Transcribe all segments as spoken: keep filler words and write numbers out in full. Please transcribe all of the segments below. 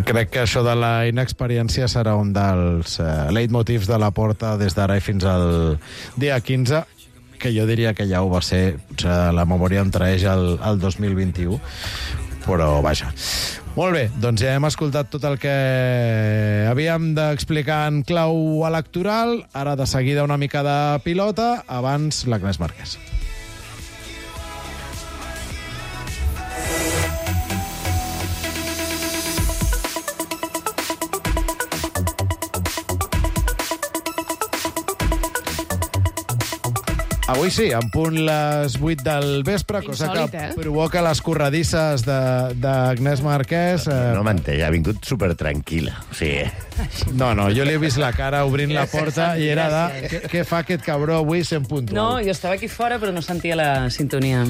crec que això de la inexperiència serà un dels uh, leitmotivs de la Porta des d'ara i fins al dia quinze, que jo diria que ja ho va ser, potser la memòria em traeix el, el dos mil vint-i-u, però vaja. Molt bé, doncs ja hem escoltat tot el que havíem d'explicar en clau electoral. Ara de seguida una mica de pilota, abans l'Agnès Marquès. Avui sí, en punt les vuit del vespre, cosa Insòlit, que eh? provoca les corredisses d'Agnès Marquès. Eh... No m'entén, ha vingut supertranquil·la. O sigui... No, no, jo li he vist la cara obrint la porta i era de... Què, què fa aquest cabró avui sent puntual? No, jo estava aquí fora, però no sentia la sintonia.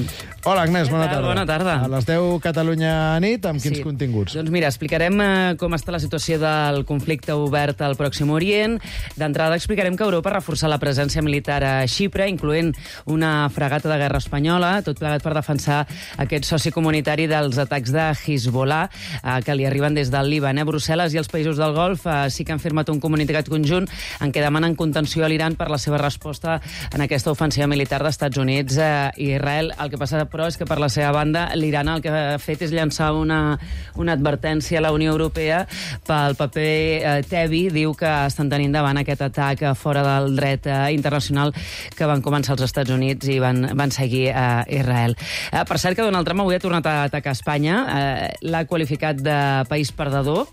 Hola, Agnès, bona tal? tarda. Bona tarda. A les deu Catalunya nit, amb quins Sí. continguts? Doncs mira, explicarem eh, com està la situació del conflicte obert al Pròxim Orient. D'entrada explicarem que Europa ha reforçat la presència militar a Xipre, incloent una fragata de guerra espanyola, tot plegat per defensar aquest soci comunitari dels atacs de Hezbollah, eh, que li arriben des del Líban. Eh? Brussel·les i els països del Golf eh, sí que han firmat un comunicat conjunt en què demanen contenció a l'Iran per la seva resposta en aquesta ofensiva militar d'Estats Units eh, i Israel. El que passa, però, és que per la seva banda l'Iran el que ha fet és llançar una, una advertència a la Unió Europea pel paper eh, tebi. Diu que estan tenint davant aquest atac eh, fora del dret eh, internacional que van començar els Estats Units i van, van seguir a eh, Israel. Eh, per cert que Donald Trump avui ha tornat a atacar Espanya. Eh, l'ha qualificat de país perdedor.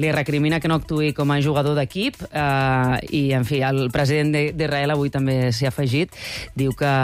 Li recrimina que no actuï com a jugador d'equip eh, i, en fi, el president d'Israel avui també s'hi ha afegit. Diu que,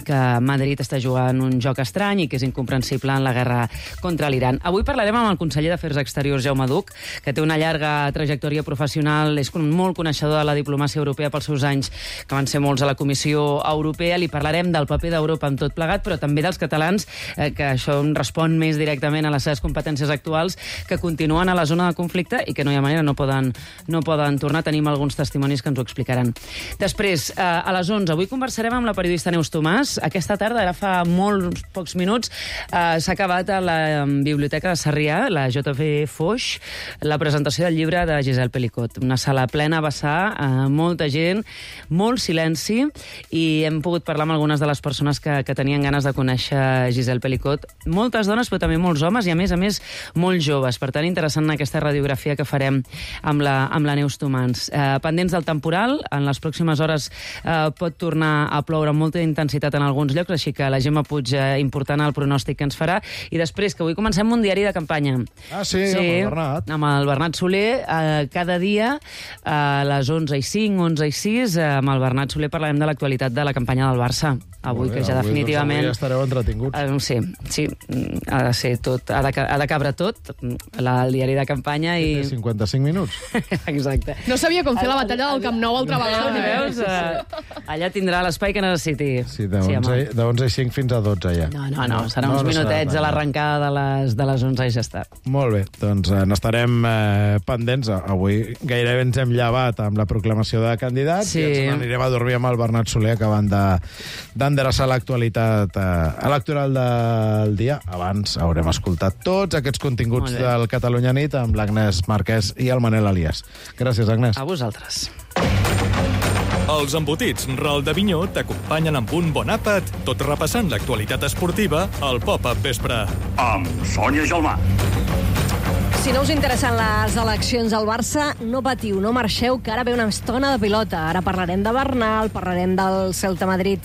que Madrid està jugant un joc estrany i que és incomprensible en la guerra contra l'Iran. Avui parlarem amb el conseller d'Afers Exteriors, Jaume Duch, que té una llarga trajectòria professional, és molt coneixedor de la diplomàcia europea pels seus anys, que van ser molts a la Comissió Europea. Li parlarem del paper d'Europa en tot plegat, però també dels catalans, eh, que això respon més directament a les seves competències actuals, que continuen a la zona de conflicte i que no hi ha manera, no poden, no poden tornar. Tenim alguns testimonis que ens ho explicaran. Després, eh, a les onze, avui conversarem amb la periodista Neus Tomàs. Aquesta tarda, ara fa molts pocs minuts, eh, s'ha acabat a la Biblioteca de Sarrià, la J F Foix, la presentació del llibre de Gisèle Pelicot. Una sala plena a vessar, eh, molta gent, molt silenci, i hem pogut parlar amb algunes de les persones que, que tenien ganes de conèixer Gisèle Pelicot. Moltes dones, però també molts homes, i a més a més, molt joves. Per tant, interessant aquesta radiografia que farem amb la, amb la Neus Tomàs. Eh, pendents del temporal, en les pròximes hores eh, pot tornar a ploure amb molta intensitat en alguns llocs, així que la Gemma Puig, eh, important el pronòstic que ens farà. I després, que avui comencem un diari de campanya. Ah, sí, sí, amb el Bernat. Amb el Bernat Soler, eh, cada dia a les onze i cinc, onze i sis, eh, amb el Bernat Soler parlarem de l'actualitat de la campanya del Barça. Avui, bé, que ja avui, definitivament... Doncs avui estareu entretinguts. Eh, sí, sí, ha de ser tot, ha de, ha de cabre tot, la, el diari de campanya i... Té cinquanta-cinc minuts. Exacte. No sabia com fer la batalla del Camp Nou altra vegada. Veus? Eh, allà tindrà l'espai que necessiti. Sí, de onze i cinc fins a dotze ja. No, no, no, serà No, uns no serà minutets tant. a l'arrencada de les, de les onze i ja està. Molt bé, doncs eh, n'estarem eh, pendents. Avui gairebé ens hem llevat amb la proclamació de candidat Sí. i ens n'anirem a dormir amb el Bernat Soler acabant de- d'endreçar l'actualitat eh, electoral del dia. Abans haurem escoltat tots aquests continguts Molt bé. del Catalunya Nit amb l'Agnès Marquès i el Manel Elias. Gràcies, Agnès. A vosaltres. Els embotits Ral de Vinyó t'acompanyen amb un bon àpat, tot repassant l'actualitat esportiva al Pop-Up Vespre. Amb Sònia Gelmà. Si no us interessen les eleccions al Barça, no patiu, no marxeu, que ara ve una estona de pilota. Ara parlarem de Bernal, parlarem del Celta Madrid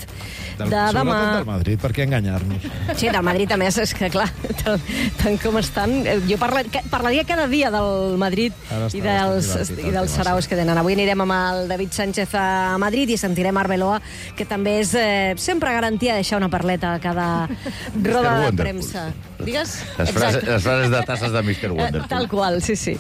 Del, de demà. sobretot del Madrid, per què enganyar-nos? Sí, del Madrid, a més, és que, clar, tant, tant com estan... Jo parla, parlaria cada dia del Madrid Ara està i dels, bastant divertit, i dels el tema, saraus que tenen. Avui anirem amb el David Sánchez a Madrid i sentirem Arbeloa, que també és eh, sempre garantia deixar una perleta a cada roda de Wonderful. premsa. Digues? Les frases, Exacte. les frases de tasses de mister Wonderful. Tal qual, sí, sí.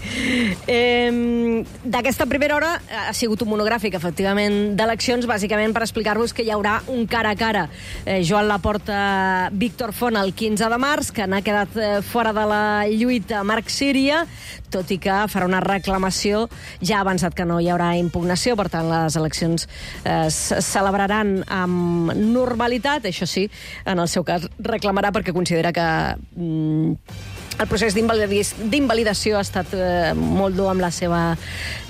Eh, D'aquesta primera hora ha sigut un monogràfic, efectivament, d'eleccions, bàsicament per explicar-vos que hi haurà un cara a cara. Eh, Joan Laporta, Víctor Font, el quinze de març, que n'ha quedat eh, fora de la lluita Marc Síria, tot i que farà una reclamació. Ja ha avançat que no hi haurà impugnació, per tant, les eleccions eh, es celebraran amb normalitat. Això sí, en el seu cas reclamarà perquè considera que... Mm, El procés d'invalidació ha estat eh, molt dur amb la seva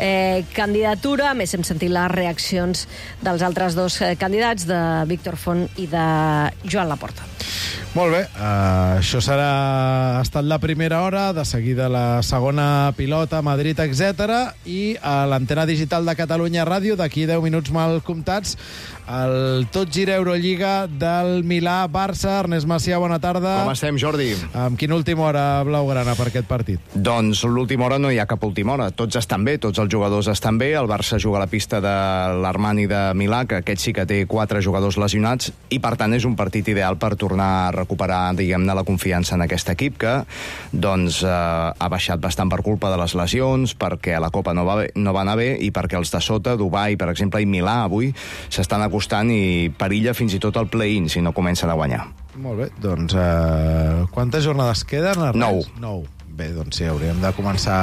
eh, candidatura. A més, hem sentit les reaccions dels altres dos eh, candidats, de Víctor Font i de Joan Laporta. Molt bé, uh, això serà ha estat la primera hora, de seguida la segona pilota, Madrid, etcètera, i a l'antena digital de Catalunya Ràdio, d'aquí deu minuts mal comptats, el Tot Gira Eurolliga del Milà-Barça. Ernest Macià, bona tarda. Com estem, Jordi? Amb quina última hora blaugrana per aquest partit? Doncs l'última hora no hi ha cap última hora. Tots estan bé, tots els jugadors estan bé. El Barça juga a la pista de l'Armani de Milà, que aquest sí que té quatre jugadors lesionats, i per tant és un partit ideal per tornar a recuperar, diguem-ne, la confiança en aquest equip, que doncs eh, ha baixat bastant per culpa de les lesions, perquè a la Copa no va, bé, no va anar bé, i perquè els de sota, Dubai, per exemple, i Milà, avui, s'estan acostant i perilla fins i tot el play-in si no comencen a guanyar. Molt bé, doncs eh, quantes jornades queden? Ernest? Nou. Nou. Bé, doncs sí, hauríem de començar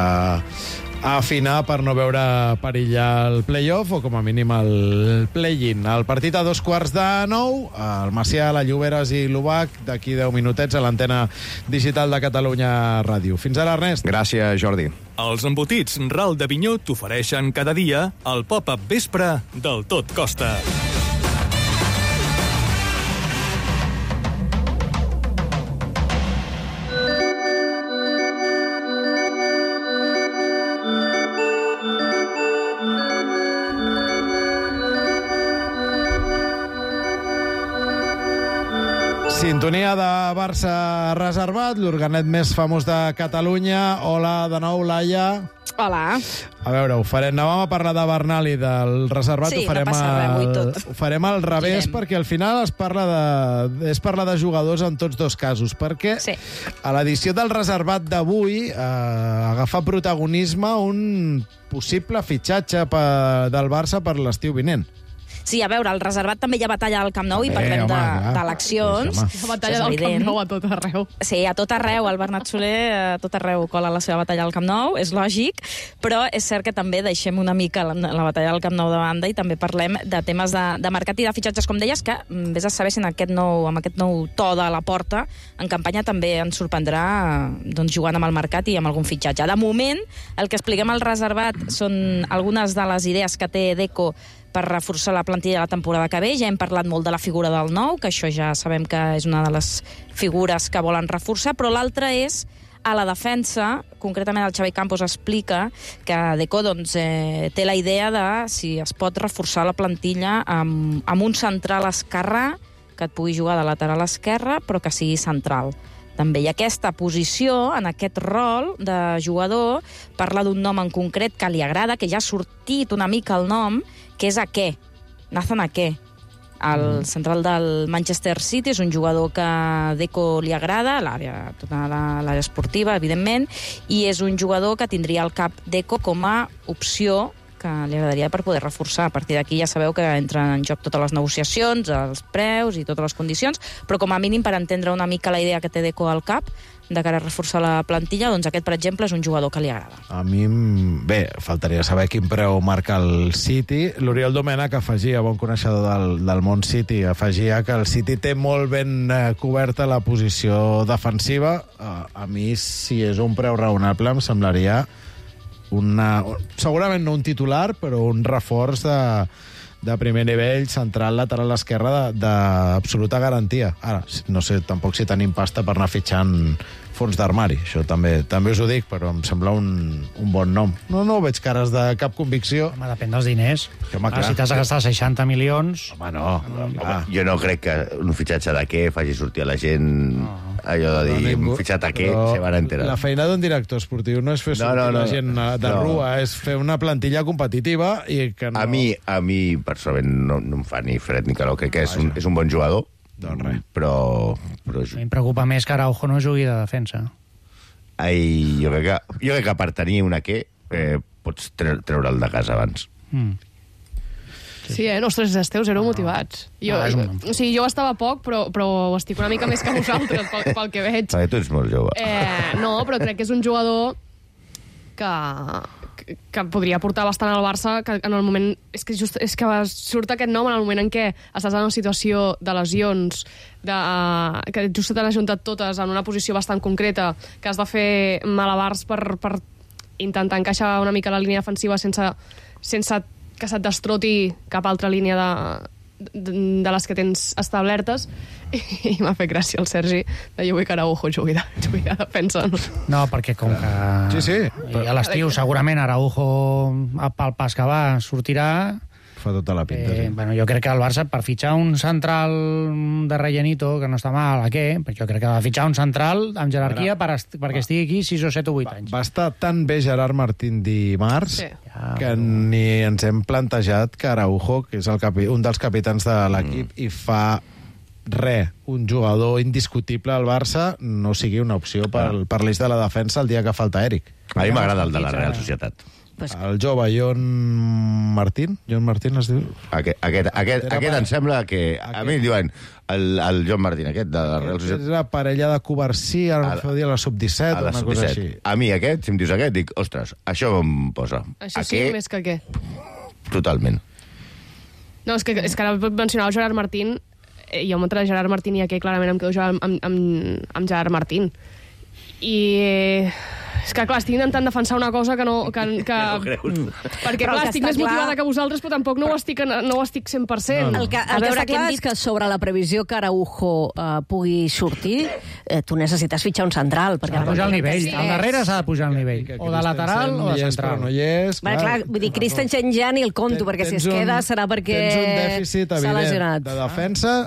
a afinar per no veure perillar el play-off o com a mínim el play-in. El partit a dos quarts de nou, el Macià, la Lloberes i l'Ubac, d'aquí deu minutets a l'antena digital de Catalunya Ràdio. Fins ara, Ernest. Gràcies, Jordi. Els embotits Ral de Vinyó t'ofereixen cada dia el pop-up vespre del Tot Costa. Sintonia de Barça Reservat, l'organet més famós de Catalunya. Hola de nou, Laia. Hola. A veure, ho farem. Anàvem a parlar de Bernal i del Reservat. Sí, ho farem no passa res, avui tot. Ho farem al revés, Girem. perquè al final es parla de, és parlar de jugadors en tots dos casos, perquè Sí. a l'edició del Reservat d'avui eh, agafa protagonisme un possible fitxatge per, del Barça per l'estiu vinent. Sí, a veure, al Reservat també hi ha batalla al Camp Nou i Bé, parlem home, de- clar. d'eleccions. Home. Això La batalla és del Camp evident. Nou a tot arreu. Sí, a tot arreu. El Bernat Soler a tot arreu cola la seva batalla al Camp Nou, és lògic, però és cert que també deixem una mica la, la batalla del Camp Nou de banda i també parlem de temes de, de mercat i de fitxatges, com deies, que mm, vés a saber si en aquest nou, amb aquest nou to de la porta, en campanya també ens sorprendrà doncs, jugant amb el mercat i amb algun fitxatge. De moment, el que expliquem al Reservat són algunes de les idees que té Deco per reforçar la plantilla de la temporada que ve. Ja hem parlat molt de la figura del nou, que això ja sabem que és una de les figures que volen reforçar, però l'altra és a la defensa. Concretament el Xavi Campos explica que Deco doncs, eh, té la idea de si es pot reforçar la plantilla amb, amb un central esquerrà que et pugui jugar de lateral esquerre, però que sigui central. També hi ha aquesta posició, en aquest rol de jugador, parla d'un nom en concret que li agrada, que ja ha sortit una mica el nom, que és Ake, Nathan Ake. El central del Manchester City és un jugador que a Deco li agrada, l'àrea, tota la- l'àrea esportiva, evidentment, i és un jugador que tindria al cap Deco com a opció que li agradaria per poder reforçar. A partir d'aquí ja sabeu que entren en joc totes les negociacions, els preus i totes les condicions, però com a mínim per entendre una mica la idea que té Deco al cap de cara a reforçar la plantilla, doncs aquest, per exemple, és un jugador que li agrada. A mi, em- bé, faltaria saber quin preu marca el City. L'Oriol Domènech afegia, bon coneixedor del, del món City, afegia que el City té molt ben eh, coberta la posició defensiva. Uh, a mi, si és un preu raonable, em semblaria una, segurament no un titular, però un reforç de, de primer nivell, central, lateral esquerra, d'absoluta garantia. Ara, no sé tampoc si tenim pasta per anar fitxant fons d'armari. Això també també us ho dic, però em sembla un, un bon nom. No, no veig cares de cap convicció. Home, depèn dels diners. Que, home, Ah, clar. si t'has de gastar seixanta milions... Home, no. Ah, Jo no crec que un fitxatge de què faci sortir a la gent allò de dir, ningú- un fitxat a què, però se van enterar. La feina d'un director esportiu no és fer No, sortir no, no. la gent de No. rua, és fer una plantilla competitiva i que no... A mi, a mi personalment, no, no em fa ni fred ni calor. Crec que és un, és un bon jugador, Doncs res. però... però A mi em preocupa més que Araujo no jugui de defensa. ai, jo, crec que, jo crec que per tenir una què eh, pots tre treure'l de casa abans. Mm. Sí, eh? Ostres, els teus éreu motivats. Jo, Ah, és un- o sigui, jo estava poc, però, però estic una mica més que vosaltres, pel, pel que veig. Perquè tu ets molt jove. Eh, no, però crec que és un jugador que, que, que podria portar bastant al Barça, que en el moment... És que, just, és que surt aquest nom en el moment en què estàs en una situació de lesions, de, uh, que just t'han ajuntat totes en una posició bastant concreta, que has de fer malabars per, per intentar encaixar una mica la línia defensiva sense, sense que se't destroti cap altra línia de, de, de les que tens establertes. I, i m'ha fet gràcia el Sergi de jo vull que Araujo jugui de, jugui de defensa. No? No, perquè com que... Sí, sí. I a l'estiu segurament Araujo, pel pas que va, sortirà... Fa tota la pinta, eh, sí. Bueno, jo crec que el Barça, per fitxar un central de rellenito, que no està mal, a què? Però jo crec que ha de fitxar un central amb jerarquia per est perquè estigui aquí sis o set o vuit anys. Va estar tan bé Gerard Martín dimarts Sí. que ni ens hem plantejat que Araujo, que és el capi, un dels capitans de l'equip, mm. i fa res, un jugador indiscutible al Barça, no sigui una opció per, per l'eix de la defensa el dia que falta Eric. A mi m'agrada el de la Real Societat. Pues... El jove John Martín, John Martín es diu... Aquest, aquest, aquest, Era aquest pa- em sembla que... A Aquest. mi em diuen el, el John Martín, aquest, de la Real És Societat. la parella de Covarsí, ara A em la- feu dir a la sub disset, A la una sub cosa disset. així. A mi aquest, si em dius aquest, dic, ostres, això em posa. Això sí, Aquest, més que què? totalment. No, és que, és que ara mencionava el Gerard Martín, eh, jo entre Gerard Martín i aquest clarament em quedo amb, amb, amb, amb Gerard Martín. I... Eh, és que, clar, estic intentant defensar una cosa que no... Que, que, no creus. perquè, Però clar, el que estic està més clar- motivada que vosaltres, però tampoc no ho estic, no ho estic cent per cent. El que, el que està clar és que sobre la previsió que Araujo eh, pugui sortir, eh, tu necessites fitxar un central. Perquè S'ha de pujar el nivell. Sí. Al darrere s'ha de pujar el nivell. O de lateral o de Hi és, però central. no hi és. Bueno, clar, vull dir, Christensen ja ni el compto, Ten- perquè si tens es queda un- serà perquè tens un dèficit s'ha evident lesionat. de defensa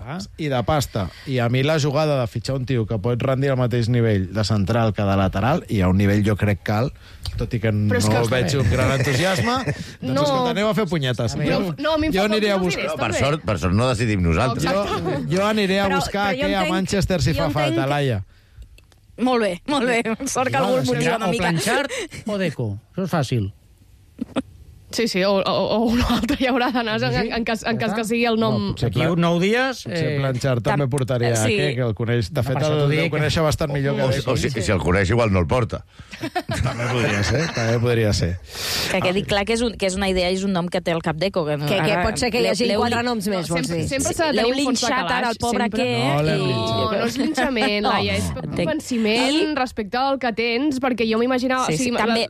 i de pasta. I a mi la jugada de fitxar un tio que pot rendir al mateix nivell de central que de lateral, i a un nivell jo crec que alt, tot i que no és que- veig un gran entusiasme, doncs No. escolta, aneu a fer punyetes. Però, no, a mi em jo fa aniré a falta els buscar... diners, No, per, també. sort, per sort no decidim nosaltres. Jo, jo aniré a Però- buscar però jo què a entenc- Manchester si jo fa entenc falta, que- Laia. Molt bé, molt bé. Sort que algú el motiva una O mica. Planchard o Deco. Això és fàcil. Sí, sí, o, o, o un altre hi haurà d'anar en, en, cas, en cas que sigui el nom... No, potser Aquí un nou dies... Potser Eh, Planchard també tam- portaria sí. aquest, que el coneix. De No, fet, per això el t'ho deu dic. conèixer bastant millor que O, Deco. o si, si el coneix, igual no el porta. També podria ser, també podria ser. Que quedi clar que és, un, que és una idea i és un nom que té el cap d'eco. Que, Que, que pot ser que hi hagi l'heu- quatre noms més, vols Sempre, dir? sempre s'ha de L'heu tenir un fons de linxat calaix. ara, el pobre sempre. aquest. No, l'hem i- linxat. No, no és linxament, No. Laia, és Entenc. convenciment respecte al que tens, perquè jo m'imaginava... Sí, sí, o sigui, també,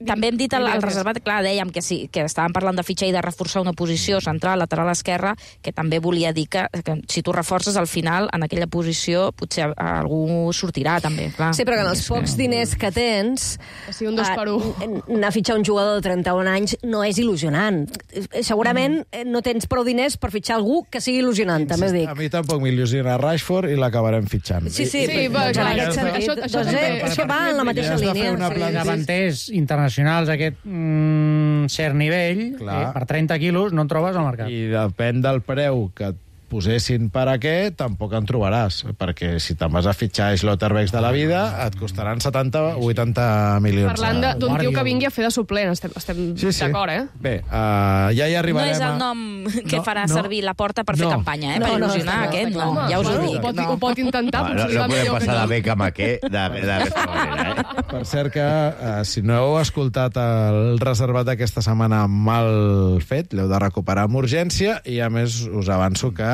també hem dit al, al Digues. reservat, clar, dèiem que sí, que estàvem parlant de fitxar i de reforçar una posició central, lateral esquerra, que també volia dir que, que si tu reforces al final, en aquella posició, potser algú sortirà també, clar. Sí, però que en els pocs diners que tens... Que sigui un dos per un. eh, anar a fitxar un jugador de trenta-un anys no és il·lusionant. Eh, Segurament eh, no tens prou diners per fitxar algú que sigui il·lusionant, també ho dic. A mi tampoc m'il·lusiona Rashford i l'acabarem fitxant. Sí, sí, Sí, però, va, doncs, en clar, aquest això- sentit, això- això doncs, també- eh, és que va en la mateixa Ja has de fer línia. una Sí, plantilla. sí. davanters internacionals d'aquest mm, cert nivell, Clar. eh, per trenta quilos no en trobes al mercat. I depèn del preu que et posessin per a què, tampoc en trobaràs, perquè si te'n vas a fitxar Schlotterbeck de la vida, et costaran setanta o vuitanta milions. Parlant de- d'un tio Guardiola. que vingui a fer de suplent, estem, estem Sí, sí. d'acord, eh? Bé, uh, ja hi No arribarem és el a... nom que No, farà no. servir la porta per fer No. campanya, eh? No, per no, il·lusionar està clar, aquest, està no, clar. ja us ho Bueno, dic. ho pot, No. ho pot intentar, No, no, potser no serà podem millor que passar de no. Beckham a què d'aquesta manera, eh? Per cert que, uh, si no heu escoltat el reservat d'aquesta setmana mal fet, l'heu de recuperar amb urgència, i a més us avanço que...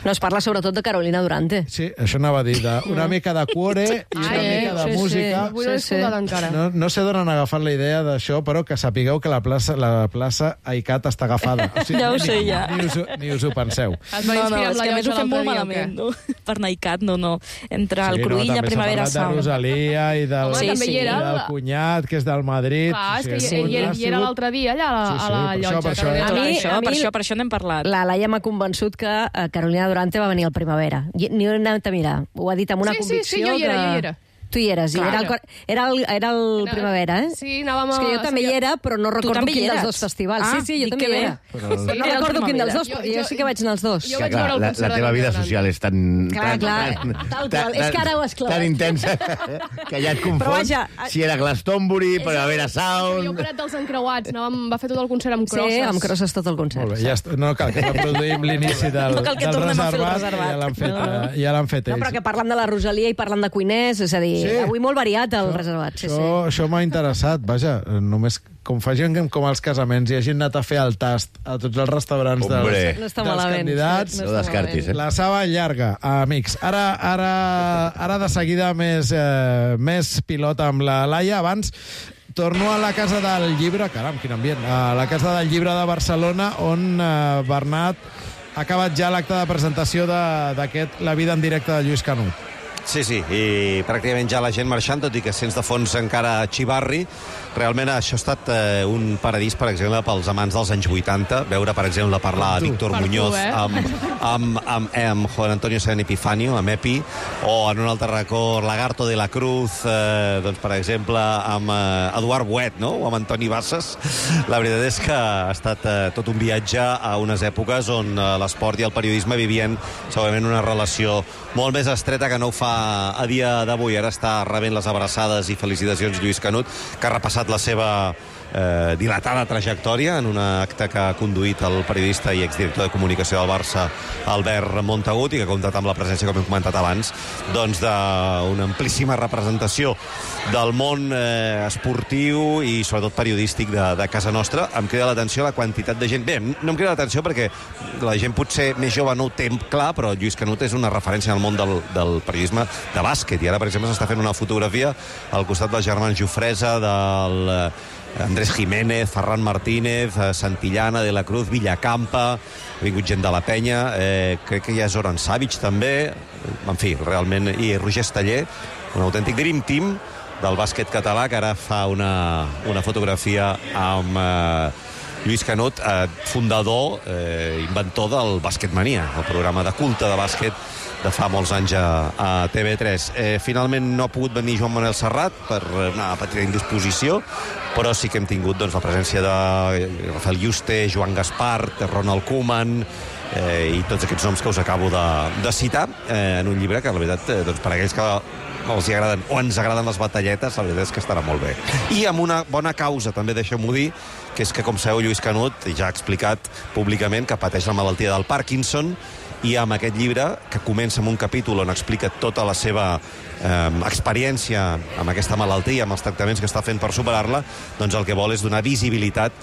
No, es parla sobretot de Carolina Durante. Sí, això anava a dir, de, una mica de cuore i una Ai, mica de sí, sí. música. Avui no he Sí, sí. escoltat encara. No, no sé d'on han agafat la idea d'això, però que sapigueu que la plaça, la plaça Aicat està agafada. O sigui, Ja ho ni- sé, ja. Ni us, ho- ni us ho penseu. Es va No, no, inspirar és amb la que a més ho llotja fem molt l'altre dia, o malament, no? Per Naicat, no, no. Entre el Sí, Cruïlla, també s'ha Primavera parlat de Sound. Rosalia i del, Home, Sí, també sí. hi era i del el- cunyat, que és del Madrid. Clar, és que O hi, sigui, hi, ha hi era sigut- l'altre dia allà a la, Sí, sí, a la per això, llotja. per això. Carolina A Per mi- Durante. això, a mi- per això, per això n'hem parlat. La Laia m'ha convençut que eh, Carolina Durante va venir al Primavera. I- Ni ho he anat a mirar. Ho ha dit amb una Sí, sí, convicció sí, jo hi era, que... jo hi era. Tu hi eres, i Clar. era el, cor- era el, era el Era- Primavera, eh? Sí, anàvem És que jo a- també sí, hi era, però no recordo també hi quin dels eres? dos festivals. Ah, sí, sí, jo dic també que hi bé. era. Però- Però no Era el recordo quin dels Primavera. dos, Jo- perquè jo jo- sí que vaig anar als dos. Jo Que, vaig clar, veure el la, concert la de teva vida Carolina social és tan... Clar, tan, clar, tan, tal qual. És que ara ho has clavat. Tan intensa que ja et confons Però vaja, si era Glastonbury, Primavera Jo Sound... parat dels encreuats, anàvem, va fer tot el concert amb Sí, crosses. amb crosses tot el concert. Molt bé, ja està. No cal que reproduïm l'inici del, No cal que del tornem a fer el reservat, reservat. ja l'han fet, No, no. eh, ja l'han fet No, ells. però que parlen de la Rosalia i parlen de cuiners, és a dir, sí. Avui molt variat el això, reservat. Sí, això sí. això m'ha interessat, vaja, només com facin com als casaments i hagin anat a fer el tast a tots els restaurants dels, Hombre. No està dels malament. candidats. No descartis, eh? La saba llarga, amics. Ara, ara, ara de seguida més, eh, més pilota amb la Laia. Abans torno a la Casa del Llibre, caram, quin ambient, a la Casa del Llibre de Barcelona, on eh, Bernat ha acabat ja l'acte de presentació d'aquest La vida en directe de Lluís Canut. Sí, sí, i pràcticament ja la gent marxant, tot i que sents de fons encara xivarri. Realment això ha estat eh, un paradís, per exemple, pels amants dels anys vuitanta. Veure, per exemple, parlar a Víctor Per Muñoz tu, eh? amb, amb, amb, amb Juan Antonio San Epifanio, amb Epi, o en un altre racó Lagarto de la Cruz, eh, doncs, per exemple, amb eh, Eduard Buet, no? O amb Antoni Bassas. La veritat és que ha estat eh, tot un viatge a unes èpoques on eh, l'esport i el periodisme vivien segurament una relació molt més estreta que no ho fa a dia d'avui. Ara està rebent les abraçades i felicitacions Lluís Canut, que ha repassat la seva eh, dilatada trajectòria en un acte que ha conduït el periodista i exdirector de comunicació del Barça, Albert Montagut, i que ha comptat amb la presència, com hem comentat abans, doncs d'una amplíssima representació del món eh, esportiu i sobretot periodístic de, de casa nostra. Em crida l'atenció la quantitat de gent. Bé, no em crida l'atenció perquè la gent potser més jove no ho té clar, però Lluís Canut és una referència en el món del, del periodisme de bàsquet, i ara, per exemple, s'està fent una fotografia al costat dels germans Jofresa, del Andrés Jiménez, Ferran Martínez, Santillana, De la Cruz, Villacampa, ha vingut gent de la penya, eh, crec que ja és Zoran Savic també, en fi, realment, i Roger Esteller, un autèntic dream team del bàsquet català, que ara fa una, una fotografia amb eh, Lluís Canut, eh, fundador, eh, inventor del Bàsquetmania, el programa de culte de bàsquet de fa molts anys a, a T V tres. Eh, finalment no ha pogut venir Joan Manuel Serrat per una petita indisposició, però sí que hem tingut doncs, la presència de Rafael Yuste, Joan Gaspart, Ronald Koeman, eh, i tots aquests noms que us acabo de, de citar eh, en un llibre que, la veritat, eh, doncs, per a aquells que els hi agraden o ens agraden les batalletes, la veritat és que estarà molt bé. I amb una bona causa, també deixeu-m'ho dir, que és que, com sabeu, Lluís Canut ja ha explicat públicament que pateix la malaltia del Parkinson, i amb aquest llibre, que comença amb un capítol on explica tota la seva eh, experiència amb aquesta malaltia, amb els tractaments que està fent per superar-la, doncs el que vol és donar visibilitat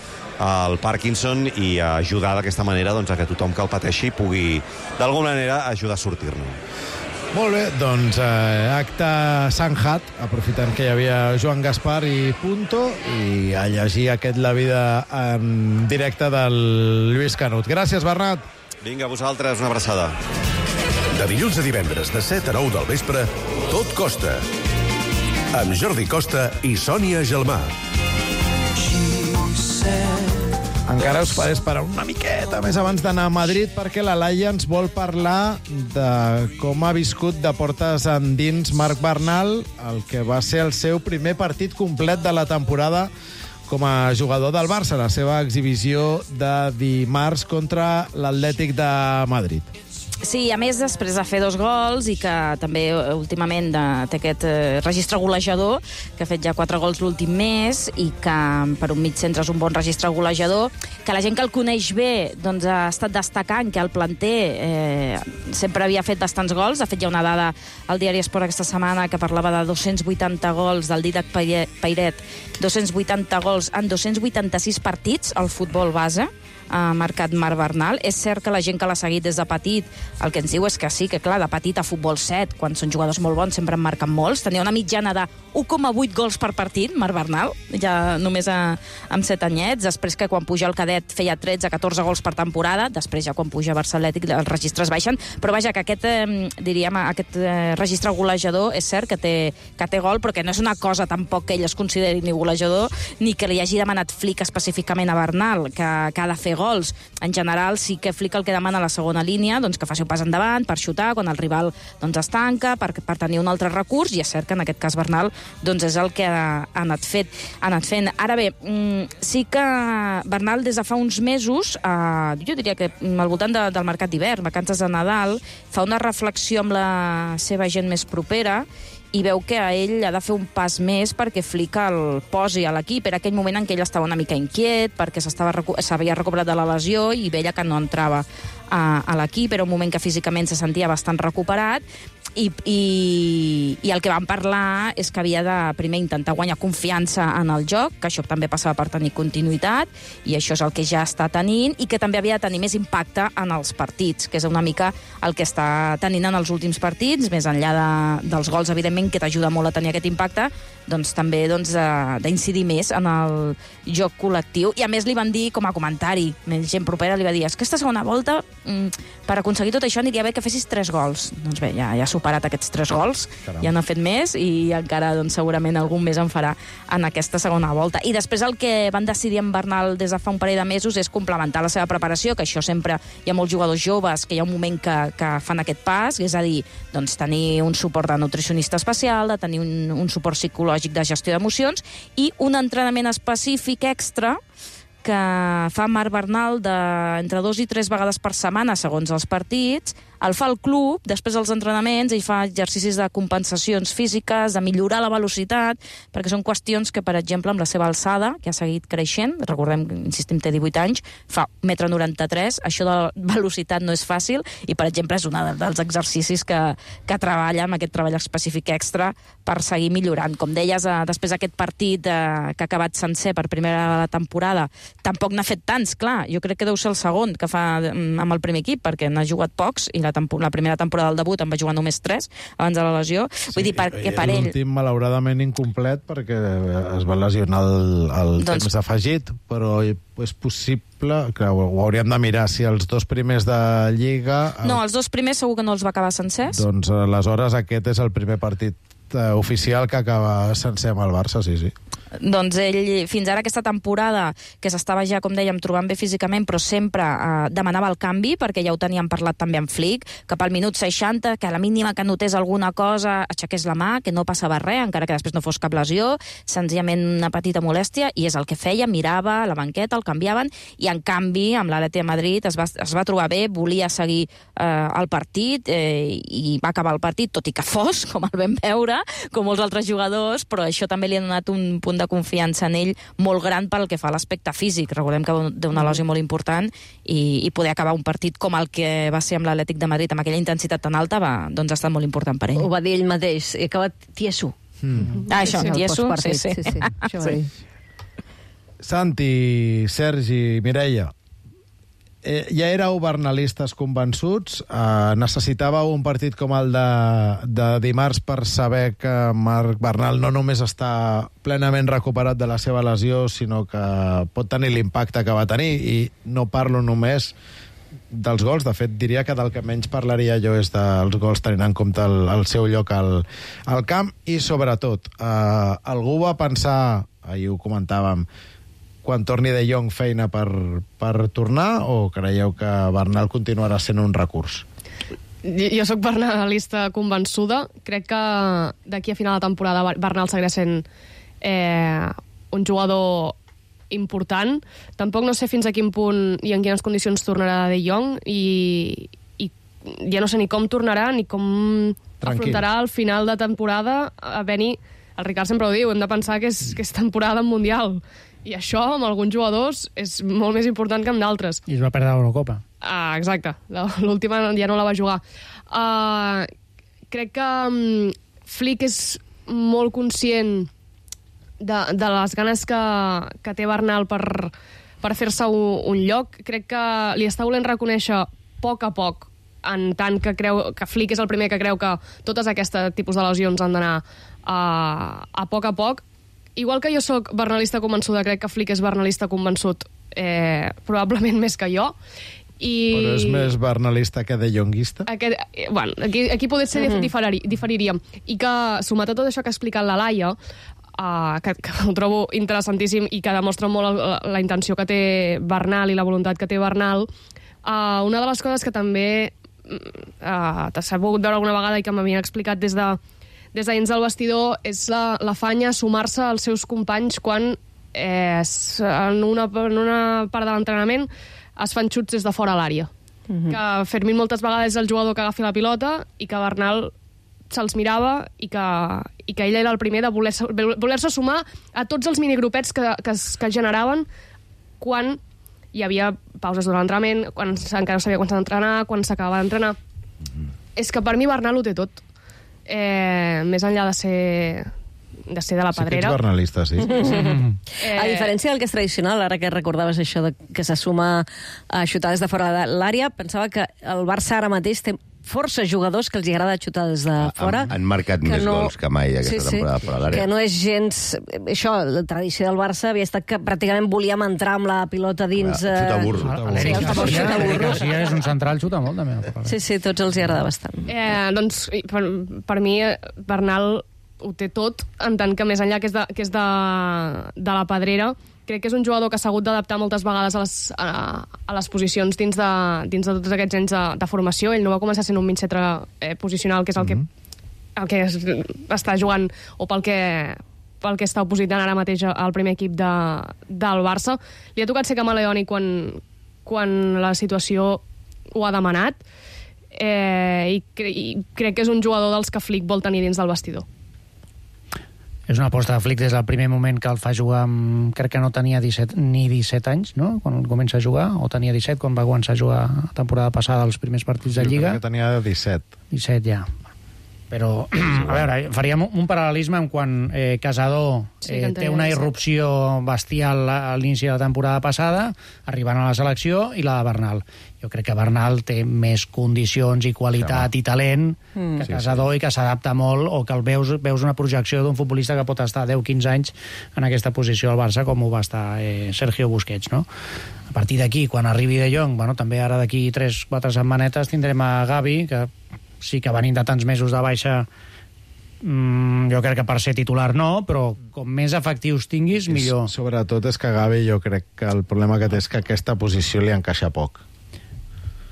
al Parkinson i ajudar d'aquesta manera doncs, a que tothom que el pateixi pugui, d'alguna manera, ajudar a sortir-ne. Molt bé, doncs eh, acte Sanjat, aprofitant que hi havia Joan Gaspar i Punto, i a llegir aquest La vida en directe del Lluís Canut. Gràcies, Bernat. Vinga, a vosaltres, una abraçada. De dilluns a divendres, de set a nou del vespre, Tot Costa. Amb Jordi Costa i Sònia Gelmà. Encara us faré esperar una miqueta més abans d'anar a Madrid, perquè la Laia ens vol parlar de com ha viscut de portes endins Marc Bernal, el que va ser el seu primer partit complet de la temporada com a jugador del Barça, la seva exhibició de dimarts contra l'Atlètic de Madrid. Sí, a més, després de fer dos gols i que també últimament de, té aquest eh, registre golejador, que ha fet ja quatre gols l'últim mes i que per un mig centre és un bon registre golejador, que la gent que el coneix bé doncs, ha estat destacant que el planter eh, sempre havia fet bastants gols. De fet, hi ha una dada al Diari Esport aquesta setmana que parlava de dos-cents vuitanta gols del Didac Pairet, dos-cents vuitanta gols en dos-cents vuitanta-sis partits al futbol base, ha marcat Marc Bernal. És cert que la gent que l'ha seguit des de petit el que ens diu és que sí, que clar, de petit a futbol set, quan són jugadors molt bons sempre en marquen molts. Tenia una mitjana de u coma vuit gols per partit, Marc Bernal, ja només a, amb set anyets. Després que quan puja al cadet feia tretze a catorze gols per temporada, després ja quan puja a Barça Atlètic els registres baixen, però vaja, que aquest, eh, diríem, aquest eh, registre golejador és cert que té, que té gol, però que no és una cosa tampoc que ell es consideri ni golejador, ni que li hagi demanat Flick específicament a Bernal, que, que ha de fer gols. En general, sí que Flick el que demana a la segona línia, doncs que faci un pas endavant per xutar quan el rival doncs, es tanca, per, per tenir un altre recurs, i és cert que en aquest cas Bernal doncs, és el que ha, ha, anat fet, ha anat fent. Ara bé, mmm, sí que Bernal des de fa uns mesos, eh, jo diria que al voltant de, del mercat d'hivern, vacances de Nadal, fa una reflexió amb la seva gent més propera i veu que a ell ha de fer un pas més perquè Flick el posi a l'equip. Era aquell moment en què ell estava una mica inquiet perquè s'havia recuperat de la lesió i veia que no entrava a, a l'equip. Era un moment que físicament se sentia bastant recuperat I, i, i el que vam parlar és que havia de primer intentar guanyar confiança en el joc, que això també passava per tenir continuïtat, i això és el que ja està tenint, i que també havia de tenir més impacte en els partits, que és una mica el que està tenint en els últims partits, més enllà de, dels gols, evidentment, que t'ajuda molt a tenir aquest impacte, doncs també doncs, d'incidir més en el joc col·lectiu. I a més li van dir com a comentari, més gent propera li va dir, és que aquesta segona volta, per aconseguir tot això aniria bé que fessis tres gols. Doncs bé, ja, ja superat aquests tres gols, Caram. ja n'ha fet més i encara doncs, segurament algun més en farà en aquesta segona volta. I després el que van decidir en Bernal des de fa un parell de mesos és complementar la seva preparació, que això sempre hi ha molts jugadors joves que hi ha un moment que, que fan aquest pas, és a dir, doncs, tenir un suport de nutricionista especial, de tenir un, un suport psicològic de gestió d'emocions i un entrenament específic extra que fa Marc Bernal de entre dos i tres vegades per setmana, segons els partits. El fa al club, després dels entrenaments, ell fa exercicis de compensacions físiques, de millorar la velocitat, perquè són qüestions que, per exemple, amb la seva alçada, que ha seguit creixent, recordem que, insistim, té divuit anys, fa un metre noranta-tres, això de velocitat no és fàcil, i, per exemple, és un dels exercicis que, que treballa amb aquest treball específic extra per seguir millorant. Com deies, eh, després d'aquest partit eh, que ha acabat sencer per primera temporada, tampoc n'ha fet tants, clar, jo crec que deu ser el segon que fa amb el primer equip, perquè n'ha jugat pocs, i la la primera temporada del debut en va jugar només tres abans de la lesió. Sí, vull dir, perquè per ell... L'últim, malauradament, incomplet perquè es va lesionar el, el doncs... temps afegit, però és possible que ho hauríem de mirar si els dos primers de Lliga... No, els dos primers segur que no els va acabar sencers. Doncs aleshores aquest és el primer partit oficial que acaba sencer amb el Barça, sí, sí. Doncs ell, fins ara aquesta temporada, que s'estava ja, com dèiem, trobant bé físicament, però sempre eh, demanava el canvi, perquè ja ho teníem parlat també amb Flick, que pel minut seixanta, que a la mínima que notés alguna cosa, aixequés la mà, que no passava res, encara que després no fos cap lesió, senzillament una petita molèstia, i és el que feia, mirava a la banqueta, el canviaven, i en canvi, amb l'Atlètic de Madrid es va, es va trobar bé, volia seguir eh, el partit, eh, i va acabar el partit, tot i que fos, com el vam veure, com molts altres jugadors, però això també li ha donat un punt de confiança en ell molt gran pel que fa a l'aspecte físic. Recordem que té una lesió molt important i, i poder acabar un partit com el que va ser amb l'Atlètic de Madrid, amb aquella intensitat tan alta, va, doncs ha estat molt important per ell. Ho va dir ell mateix, he acabat tieso. Mm. Ah, això, sí, tieso, sí, sí. sí, sí. Això sí. Santi, Sergi, Mireia, eh, ja éreu bernalistes convençuts, eh, necessitàveu un partit com el de, de dimarts per saber que Marc Bernal no només està plenament recuperat de la seva lesió, sinó que pot tenir l'impacte que va tenir, i no parlo només dels gols, de fet diria que del que menys parlaria jo és dels gols tenint en compte el, el seu lloc al, al camp, i sobretot eh, algú va pensar, ahir ho comentàvem, quan torni De Jong feina per, per tornar, o creieu que Bernal continuarà sent un recurs? Jo sóc bernalista convençuda. Crec que d'aquí a final de temporada Bernal seguirà sent eh, un jugador important. Tampoc no sé fins a quin punt i en quines condicions tornarà De Jong, i, i ja no sé ni com tornarà ni com Tranquil. afrontarà al final de temporada a venir. El Ricard sempre ho diu, hem de pensar que és, que és temporada mundial. I això, amb alguns jugadors, és molt més important que amb d'altres. I es va perdre l'Eurocopa. Ah, exacte. L'última ja no la va jugar. Uh, crec que um, Flick és molt conscient de, de les ganes que, que té Bernal per, per fer-se un, un lloc. Crec que li està volent reconèixer a poc a poc, en tant que creu que Flick és el primer que creu que totes aquests tipus de lesions han d'anar uh, a poc a poc. Igual que jo sóc bernalista convençuda, crec que Flick és bernalista convençut, eh, probablement més que jo. I... Però és més bernalista que de jonguista? Aquest, eh, bueno, aquí, aquí potser ser mm-hmm. diferir, diferiríem. I que, sumat a tot això que ha explicat la Laia, uh, que, que ho trobo interessantíssim i que demostra molt la, la intenció que té Bernal i la voluntat que té Bernal, uh, una de les coses que també uh, s'ha pogut veure alguna vegada i que m'havien explicat des de des de dins del vestidor és la, la fanya a sumar-se als seus companys quan eh, en, una, en una part de l'entrenament es fan xuts des de fora a l'àrea. Mm-hmm. Que Fermín moltes vegades és el jugador que agafi la pilota i que Bernal se'ls mirava i que, i que ell era el primer de voler-se voler sumar a tots els minigrupets que, que, es, que es generaven quan hi havia pauses durant l'entrenament, quan encara no sabia quan s'ha d'entrenar, quan s'acabava d'entrenar. Mm-hmm. És que per mi Bernal ho té tot. eh, més enllà de ser de ser de la Pedrera... Sí que ets bernalista, sí. eh... A diferència del que és tradicional, ara que recordaves això de que se suma a xutar des de fora de l'àrea, pensava que el Barça ara mateix té força jugadors que els agrada xutar des de fora. Han, han marcat més no... gols que mai aquesta sí, temporada sí, fora de l'àrea. Que no és gens... Això, la tradició del Barça havia estat que pràcticament volíem entrar amb la pilota dins... Ah, xuta burro. Ah, L'Eric Garcia és un central, xuta molt, també. Sí, sí, tots els hi agrada bastant. Eh, doncs, per, per mi, Bernal ho té tot, en tant que més enllà que és de, que és de, de la Pedrera, crec que és un jugador que s'ha hagut d'adaptar moltes vegades a les, a, a les posicions dins de, dins de tots aquests anys de, de formació. Ell no va començar sent un mig centre eh, posicional, que és el que, el que es, està jugant, o pel que, pel que està opositant ara mateix al primer equip de, del Barça. Li ha tocat ser camaleònic quan, quan la situació ho ha demanat, eh, i, cre i crec que és un jugador dels que Flick vol tenir dins del vestidor. És una aposta de Flick des del primer moment que el fa jugar amb... Crec que no tenia disset, ni disset anys, no?, quan comença a jugar, o tenia disset quan va començar a jugar la temporada passada els primers partits de Lliga. Jo crec que tenia disset. disset, ja. Però, a veure, faríem un paral·lelisme en quan eh, Casador eh, sí, té una irrupció bestial a l'inici de la temporada passada, arribant a la selecció, i la de Bernal. Jo crec que Bernal té més condicions i qualitat sí, i talent mm. que Casador, sí, sí. i que s'adapta molt, o que el veus, veus una projecció d'un futbolista que pot estar deu quinze anys en aquesta posició al Barça, com ho va estar eh, Sergio Busquets, no? A partir d'aquí, quan arribi De Jong, bueno, també ara d'aquí tres quatre setmanetes tindrem a Gavi, que sí que venint de tants mesos de baixa, mmm, jo crec que per ser titular no, però com més efectius tinguis, millor. Sobretot és que Gavi, jo crec que el problema que té és que aquesta posició li encaixa poc.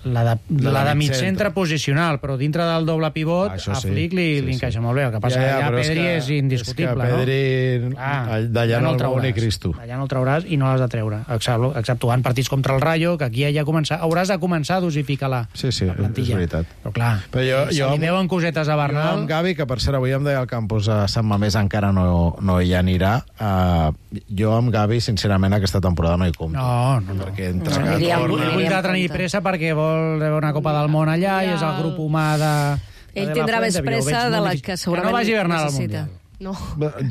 La de, la, la de mig centre posicional, però dintre del doble pivot, ah, a Flick li, sí, li encaixa sí. molt bé. El que passa ja, ja, que allà Pedri és, que, és indiscutible, és que Pedri, no? Ah, d'allà no el trauràs, ni Cristo. Allà no el trauràs i no l'has de treure, exceptuant partits contra el Rayo, que aquí ja començar, hauràs de començar a dosificar la, sí, sí, la plantilla. És veritat. Però clar, però jo, se jo, li veuen cosetes a Bernal... Jo amb Gavi, que per cert avui em deia el campus a Sant Mamés encara no, no hi anirà, uh, jo amb Gavi, sincerament, aquesta temporada no hi compto. No, no, no. Perquè entre no, no, no, no, vull de tenir pressa perquè vol veure una Copa del Món allà i és el grup humà de... Ell tindrà més pressa de la que segurament que no vagi Bernal al Mundial. No.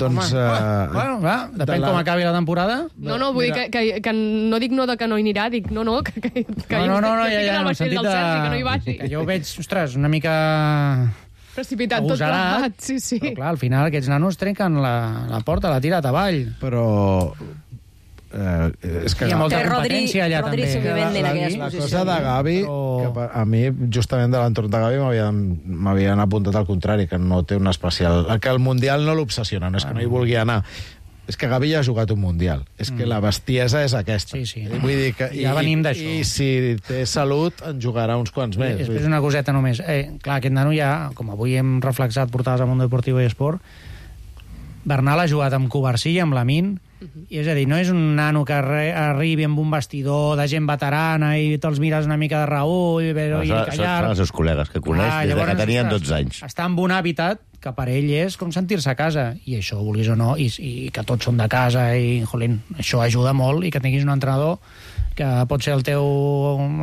Doncs... Uh, bueno, va, depèn la... com acabi la temporada. No, no, vull Mira. dir que, que, que no dic no de que no hi anirà, dic no, no, que, que, que no, no, no, no, ja, ja, en el sentit de... Sergi, que no hi vagi. Que jo ho veig, ostres, una mica... Precipitat tot plegat, sí, sí. Però clar, al final aquests nanos trenquen la, la porta, la tirat avall. Però... Eh, és que hi ha molta competència allà Rodri també. La, la, la, la cosa de Gavi, però... que a mi justament de l'entorn de Gavi m'havien apuntat al contrari, que no té un especial... Que el Mundial no l'obsessiona, no és que no hi vulgui anar. És que Gavi ja ha jugat un Mundial. És que mm. la bestiesa és aquesta. Sí, sí. Vull dir que, ja venim d'això. I si té salut, en jugarà uns quants més. I després una coseta només. Eh, clar, aquest nano ja, com avui hem reflexat portades al Mundo Deportivo i Esport, Bernal ha jugat amb Covarsí i amb Lamine, uh-huh. i és a dir, no és un nano que arribi amb un vestidor de gent veterana i te'ls mires una mica de Raúl i, no, i callar. Són els seus col·legues que coneix ah, des llavors, de que tenien dotze anys. Està en un hàbitat que per ell és com sentir-se a casa, i això, vulguis o no, i, i que tots són de casa, i jolín, això ajuda molt, i que tinguis un entrenador que pot ser el teu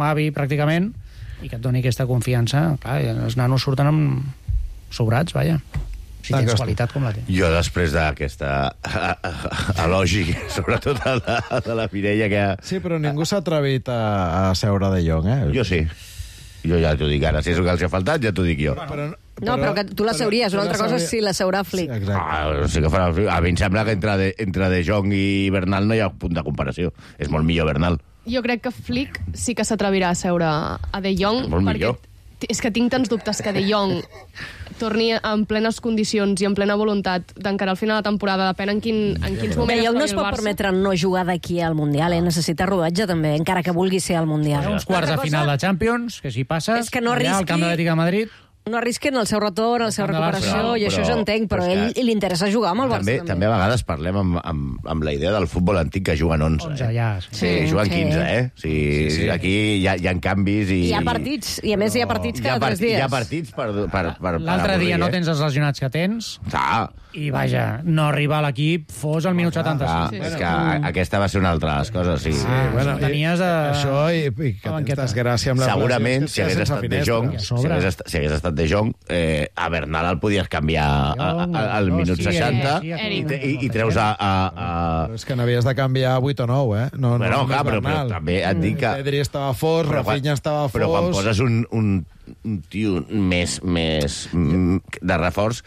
avi pràcticament, i que et doni aquesta confiança. Clar, els nanos surten amb sobrats, vaja. Si tens qualitat com la té. Jo, després d'aquesta elogi, sobretot a la, a la Mireia, que... Sí, però ningú s'ha atrevit a, a seure De Jong, eh? Jo sí. Jo ja t'ho dic ara. Si és el que els ha faltat, ja t'ho dic jo. Però, però, no, però que tu la seuries. Una altra cosa és si la seurà Flick. Sí, ah, sí que farà Flick. A mi em sembla que entre De, entre de Jong i Bernal no hi ha punt de comparació. És molt millor Bernal. Jo crec que Flick sí que s'atrevirà a seure a De Jong. Molt millor. És que tinc tants dubtes que De Jong torni en plenes condicions i en plena voluntat d'encarar al final de la temporada, depèn en, quin, en quins moments... De Jong no es pot permetre no jugar d'aquí al Mundial, eh? Necessita rodatge també, encara que vulgui ser al Mundial. Uns quarts de final de Champions, que si passes, és que no arrisqui... al Camp de l'Atlètic de Madrid... No arrisquen el seu retorn, la seva recuperació, però, i això però, jo entenc, però, però ell li interessa jugar amb el Barça. També, també. també a vegades parlem amb, amb, amb la idea del futbol antic que juguen onze. onze, ja. Sí, sí, sí juguen sí. quinze, eh? Sí, sí, sí. Aquí hi ha, hi ha canvis i... Hi ha partits, i a més hi ha partits cada part, tres dies. Hi ha partits per... per, per L'altre dia no tens els lesionats que tens, ah. i vaja, no arribar a l'equip fos al minut setanta-sis. Ah, sí, sí. És que mm. aquesta va ser una altra de les coses, sí. Ah, bueno, tenies a... Això i, i que tens desgràcia amb la segurament, si hagués estat De Jong, si hagués estat, si hagués estat De Jong, eh, a Bernal el podies canviar al minut seixanta i treus a... És que n'havies de canviar vuit o nou, eh? No, bueno, clar, però també et dic que... Pedri estava fos, Rafinha estava fos... Però quan poses un tio més de reforç,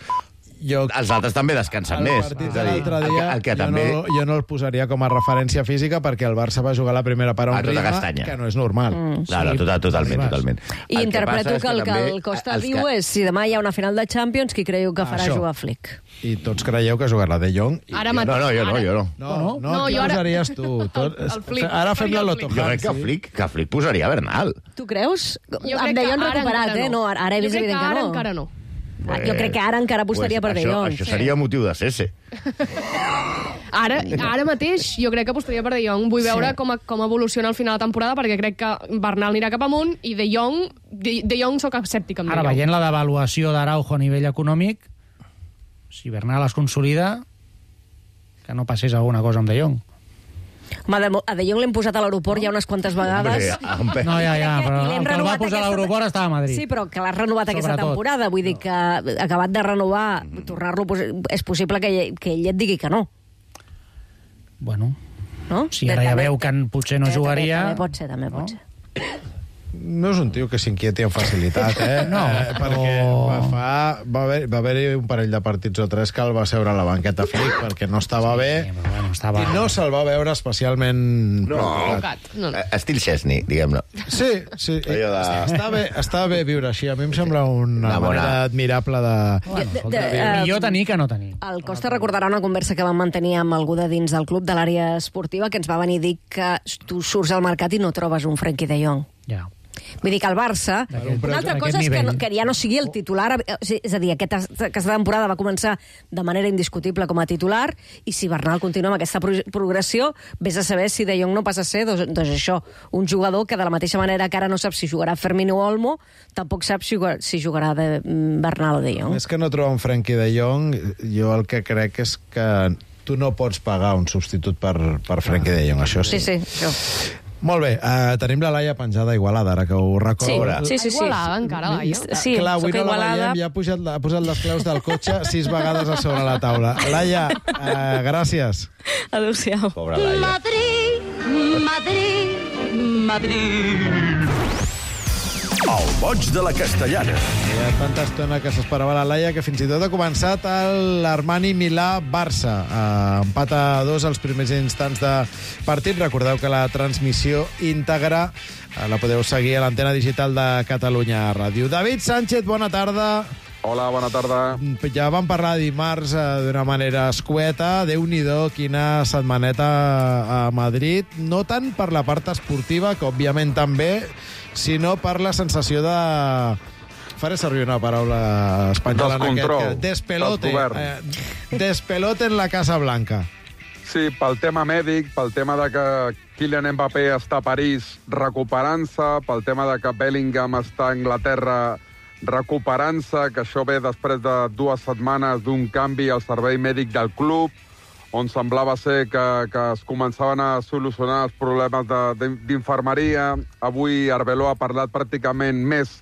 Jo, els altres també descansen més. El partit de l'altre dia, el que, el que jo, també... no, jo no el posaria com a referència física perquè el Barça va jugar la primera part a un ritme castanya. que no és normal. Mm. No, no, total, totalment, totalment. I el interpreto que, que el que el Costa diu que... és si demà hi ha una final de Champions, qui creieu que farà Això. jugar Flick? I tots creieu que jugarà De Jong? I... Ara no, no, jo no, jo no. No, no, no, no jo ara... posaries tu. Tot... el, el Flick. Ara fem la Loto. Jo crec que Flick, que Flick posaria Bernal. Tu creus? Jo amb De Jong recuperat, eh? No, ara he vist evident que no. Ara encara no. Pues, jo crec que ara encara apostaria pues per De Jong. Això seria motiu de cese. Ara, ara mateix jo crec que apostaria per De Jong. Vull veure sí. com, com evoluciona al final de temporada, perquè crec que Bernal anirà cap amunt i De Jong, De, de Jong soc escèptic amb De Jong. Ara, veient la devaluació d'Araujo a nivell econòmic, si Bernal es consolida, que no passés alguna cosa amb De Jong. Home, a De Jong l'hem posat a l'aeroport ja unes quantes vegades. No, ja, ja, però el que el va posar a l'aeroport estava a Madrid. Sí, però que l'has renovat aquesta temporada. Vull dir que acabat de renovar, tornar-lo, és possible que, que ell et digui que no. Bueno, no? Si ara ja veu que potser no jugaria... També pot ser, també pot ser. No és un tio que s'inquieti amb facilitat, eh? No, eh, perquè va, fa, va haver-hi va haver un parell de partits o tres que el va seure a la banqueta Flick perquè no estava sí, bé bueno, estava... i no se'l va veure especialment... No, no, no. Estil Chesney, diguem-ne. Sí, sí. De... Està, bé, està bé viure així. A mi em sembla una no, manera admirable de... Bueno, de, de, de millor tenir que no tenir. El Costa recordarà una conversa que vam mantenir amb algú de dins del club de l'àrea esportiva que ens va venir a dir que tu surts al mercat i no trobes un Frenkie de Jong. Ja. Vull dir que el Barça... Una altra cosa és que, no, que ja no sigui el titular... És a dir, aquesta, aquesta temporada va començar de manera indiscutible com a titular i si Bernal continua amb aquesta progressió, vés a saber si De Jong no passa a ser, doncs, doncs això, un jugador que de la mateixa manera que ara no sap si jugarà Firmino o Olmo, tampoc sap si jugarà, si jugarà de Bernal o De Jong. És que no troba un Frenkie De Jong, jo el que crec és que tu no pots pagar un substitut per, per Frenkie De Jong, això sí. Sí, sí, això. Molt bé, uh, tenim la Laia penjada a Igualada, ara que ho recordo. Sí, sí, sí. Igualada, encara, Laia? Sí, clar, avui soc no la Igualada. veiem, ja ha posat, ha posat les claus del cotxe sis vegades a sobre la taula. Laia, uh, gràcies. Adéu-siau. Pobra Laia. Madrid, Madrid, Madrid. El boig de la Castellana. Hi ha tanta estona que s'esperava la Laia que fins i tot ha començat l'Armani Milà-Barça. Uh, empat a dos als primers instants de partit. Recordeu que la transmissió íntegra uh, la podeu seguir a l'antena digital de Catalunya Ràdio. David Sánchez, bona tarda. Hola, bona tarda. Ja vam parlar dimarts uh, d'una manera escueta. Déu-n'hi-do, quina setmaneta a Madrid. No tant per la part esportiva, que òbviament també, sinó per la sensació de... Faré servir una paraula espanyola en aquest... Despelote. Eh, despelote en la Casa Blanca. Sí, pel tema mèdic, pel tema de que Kylian Mbappé està a París recuperant-se, pel tema de que Bellingham està a Anglaterra recuperant-se, que això ve després de dues setmanes d'un canvi al servei mèdic del club, on semblava ser que, que es començaven a solucionar els problemes d'infermeria. Avui Arbeloa ha parlat pràcticament més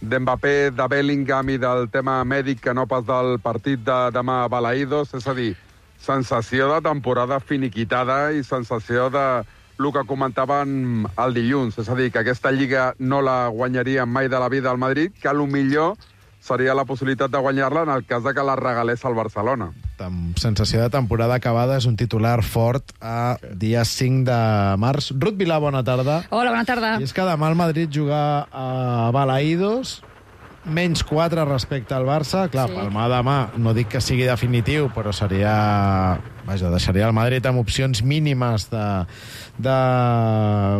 d'Mbappé, de Bellingham i del tema mèdic que no pas del partit de demà a Balaïdos. És a dir, sensació de temporada finiquitada i sensació de el que comentaven el dilluns. És a dir, que aquesta lliga no la guanyaria mai de la vida al Madrid, que potser seria la possibilitat de guanyar-la en el cas de que la regalés al Barcelona. Sensació de temporada acabada és un titular fort a dia cinc de març. Ruth Vilà, bona tarda. Hola, bona tarda. I és que demà el Madrid juga a Balaïdos, menys quatre respecte al Barça. Clar, sí. Palmar demà, no dic que sigui definitiu, però seria... Vaja, deixaria el Madrid amb opcions mínimes de, de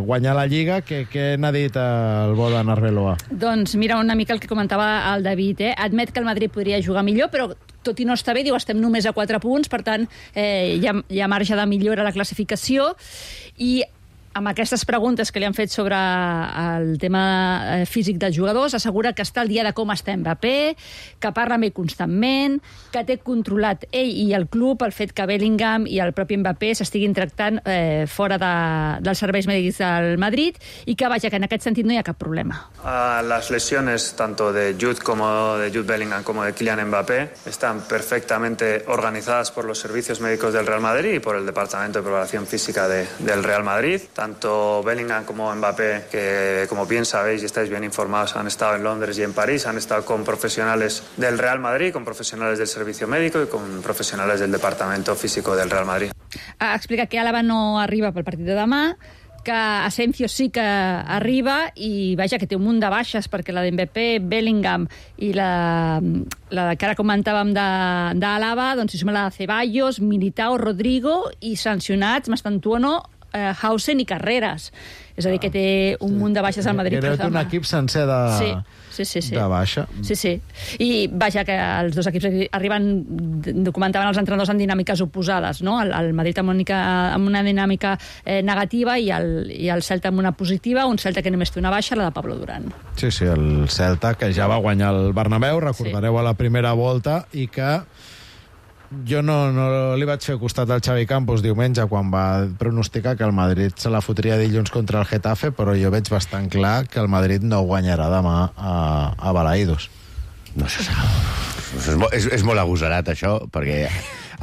guanyar la Lliga. Què, què n'ha dit el bo de Arbeloa? Doncs mira una mica el que comentava el David. Eh? Admet que el Madrid podria jugar millor, però tot i no està bé, diu, estem només a quatre punts, per tant, eh, hi, ha, hi ha marge de millora a la classificació. I amb aquestes preguntes que li han fet sobre el tema físic dels jugadors, assegura que està al dia de com està Mbappé, que parla amb ell constantment, que té controlat ell i el club el fet que Bellingham i el propi Mbappé s'estiguin tractant eh, fora de, dels serveis mèdics del Madrid i que, vaja, que en aquest sentit no hi ha cap problema. Uh, las lesiones tanto de Jude como de Jude Bellingham como de Kylian Mbappé están perfectamente organizadas por los servicios médicos del Real Madrid y por el Departamento de Preparación Física de, del Real Madrid. Tanto Bellingham como Mbappé, que como bien sabéis y estáis bien informados, han estado en Londres y en París, han estado con profesionales del Real Madrid, con profesionales del servicio médico y con profesionales del Departamento Físico del Real Madrid. Ha explicat que Álava no arriba pel partit de demà, que Asensio sí que arriba i, vaja, que té un munt de baixes perquè la d'Mbappé, Bellingham i la, la que ara comentàvem d'Álava, doncs si suma la de Ceballos, Militao, Rodrigo i sancionats Mastantuono, eh, Hausen i Carreras. És a dir, que té un munt de baixes al Madrid. Era un equip sencer de, sí, sí, sí, sí. de baixa. Sí, sí. I, vaja, que els dos equips arriben, documentaven els entrenadors en dinàmiques oposades, no? El, el Madrid amb una, amb una dinàmica eh, negativa i el, i el Celta amb una positiva, un Celta que només té una baixa, la de Pablo Durán. Sí, sí, el Celta, que ja va guanyar el Bernabéu, recordareu, sí, a la primera volta, i que jo no, no li vaig fer costat al Xavi Campos diumenge quan va pronosticar que el Madrid se la fotria dilluns contra el Getafe, però jo veig bastant clar que el Madrid no guanyarà demà a, a Balaïdos. No se sap. És, és, és molt agosarat, això, perquè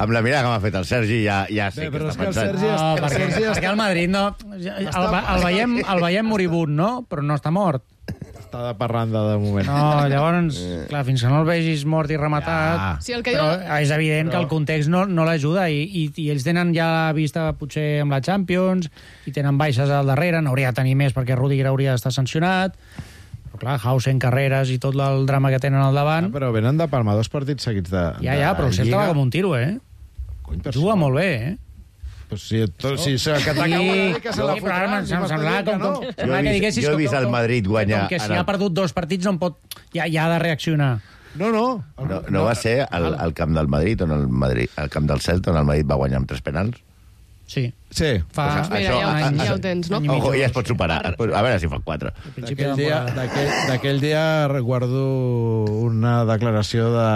amb la mirada que m'ha fet el Sergi ja, ja sé Bé, què està que pensant. Sergi no, el perquè, Sergi perquè el Madrid no... El, el, veiem, el veiem moribund, no? Però no està mort. Està de parranda de moment. No, llavors, clar, fins que no el vegis mort i rematat... Ja. Sí, el que però diu... és evident però... que el context no, no l'ajuda i, i, i ells tenen ja la vista potser amb la Champions i tenen baixes al darrere, n'hauria de tenir més perquè Rudiger hauria d'estar sancionat, però clar, Hausen, Carreras i tot el drama que tenen al davant... Ja, però venen de palmar dos partits seguits de, ja, ja, però el Celta va com un tiro, eh? Cony, juga molt bé, eh? Pues si, tot, si que t'acabo de dir que se la fotrà, però em semblava com, com, jo he vist, jo he vist el Madrid guanyar... Com que si ha perdut dos partits no pot, ja, ja ha de reaccionar. No, no. No, no va ser al, al camp del Madrid, on el Madrid, al camp del Celta, on el Madrid va guanyar amb tres penals? Sí. Sí. Fa... Pues mira, això, ja, ja ho tens, no? Ojo, ja es pot superar. A veure si fa quatre. D'aquell dia, d'aquell dia guardo una declaració de...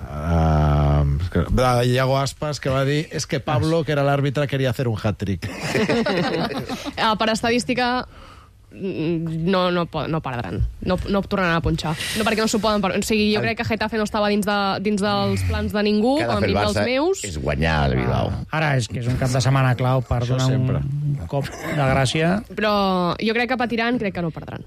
Uh, de Iago Aspas, que va dir és que Pablo, que era l'àrbitre, quería hacer un hat-trick. uh, per estadística no, no, no perdran, no, no tornaran a punxar, no perquè no s'ho poden per... o sigui, jo crec que Getafe no estava dins, de, dins dels plans de ningú, a mi dels meus és guanyar el Bilbao. Ah, ara és que és un cap de setmana clau per donar un cop de gràcia, però jo crec que patiran, crec que no perdran.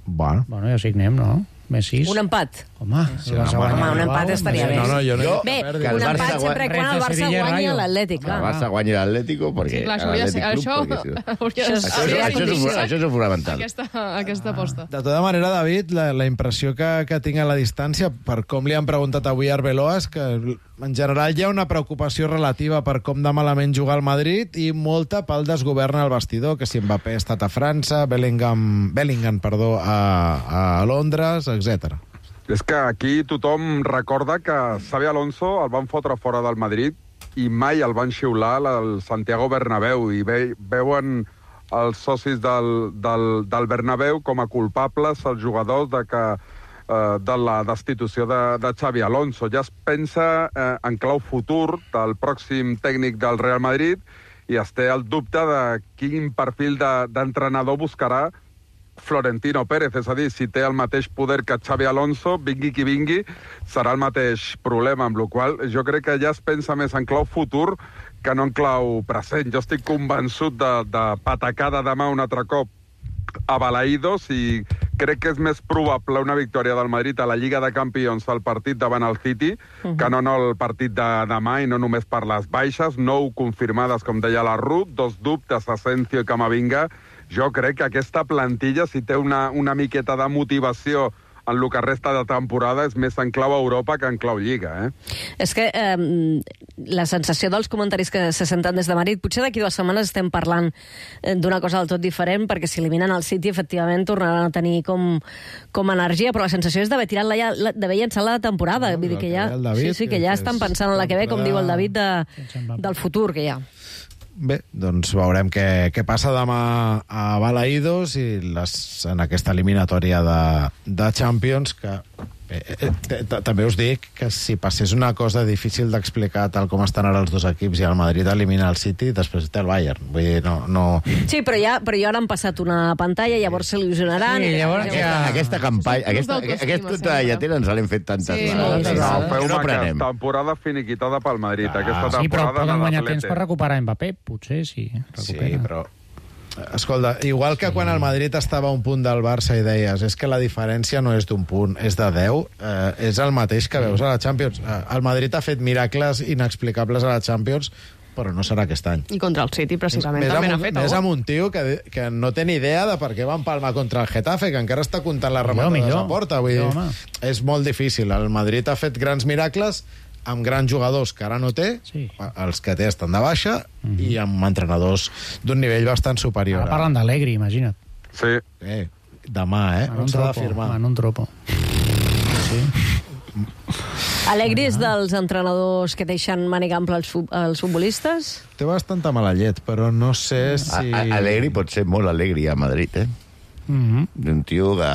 Bueno, bueno ja signem, no? Més sis. Un empat. Home, sí, home, home un empat estaria bé. No, no, jo no. Bé, un empat sempre quan el Barça guanyi l'Atlètic. El Barça guanyi l'Atlético, perquè... Sí, clar, això, això, això és fonamental. Aquesta, aquesta aposta. De tota manera, David, la, la impressió que, que tinc a la distància, per com li han preguntat avui a Arbeloa, és que en general hi ha una preocupació relativa per com de malament jugar al Madrid i molta pel desgovern al vestidor, que si Mbappé ha estat a França, Bellingham, Bellingham perdó, a, a Londres, etcètera. És que aquí tothom recorda que Xabi Alonso el van fotre fora del Madrid i mai el van xiular al Santiago Bernabéu i ve, veuen els socis del, del, del Bernabéu com a culpables els jugadors de, que, eh, de la destitució de, de Xabi Alonso. Ja es pensa eh, en clau futur del pròxim tècnic del Real Madrid i es té el dubte de quin perfil d'entrenador de, buscarà Florentino Pérez, és a dir, si té el mateix poder que Xabi Alonso, vingui qui vingui, serà el mateix problema, amb la qual cosa jo crec que ja es pensa més en clau futur que no en clau present. Jo estic convençut de, de patacar de demà un altre cop a Balaïdos i crec que és més probable una victòria del Madrid a la Lliga de Campions al partit davant el City uh-huh. que no, no el partit de demà i no només per les baixes, nou confirmades, com deia la Ruth, dos dubtes, Asensio i Camavinga. Jo crec que aquesta plantilla, si té una, una miqueta de motivació en el que resta de temporada, és més en clau Europa que en clau Lliga, eh? És que eh, la sensació dels comentaris que se senten des de Madrid, potser d'aquí dues setmanes estem parlant d'una cosa del tot diferent, perquè si eliminen el City, efectivament, tornaran a tenir com, com energia, però la sensació és d'haver tirat la, d'haver llançat la temporada. No, Vull dir que ja, David, sí, sí, que ja estan pensant en la que ve, com diu el David, de, del futur que hi ha. bé, doncs veurem què, què passa demà a Balaïdos i les, en aquesta eliminatòria de, de Champions, que eh, eh, també us dic que si passés una cosa difícil d'explicar tal com estan ara els dos equips i el Madrid elimina el City, després té el Bayern. Vull dir, no... no... Sí, però ja, però ja han passat una pantalla, llavors s'il·lusionaran... Sí, llavors aquesta, aquesta campanya, aquesta, aquesta totalla ens l'hem fet tantes Sí, vegades. sí, No, No, feu no una prenem. temporada finiquitada pel Madrid. Aquesta Sí, però temporada poden guanyar l'Atleti. temps per recuperar Mbappé, potser, sí. Recupera. Sí, però... Escolta, igual que quan el Madrid estava a un punt del Barça i deies és que la diferència no és d'un punt, és de deu, eh, és el mateix que veus a la Champions. Eh, el Madrid ha fet miracles inexplicables a la Champions, però no serà aquest any. I contra el City, precisament, Més també amb, n'ha fet més algú. amb un tio que, que no té ni idea de per què va empalmar contra el Getafe, que encara està comptant les Millor, rematades millor. a porta. Vull Millor, dir, home. és molt difícil. El Madrid ha fet grans miracles amb grans jugadors que ara no té, Sí. els que té estan de baixa, i amb entrenadors d'un nivell bastant superior. Ara parlen d'Allegri, imagina't. Sí. Eh, demà, eh? En un On s'ha de tropo, firmar? en un tropo. Sí. Alegri és dels entrenadors que deixen màniga ampla els, fu- els futbolistes? Té bastanta mala llet, però no sé si... A, a, Alegri pot ser molt alegri a Madrid, eh? Mm-hmm. Un tio que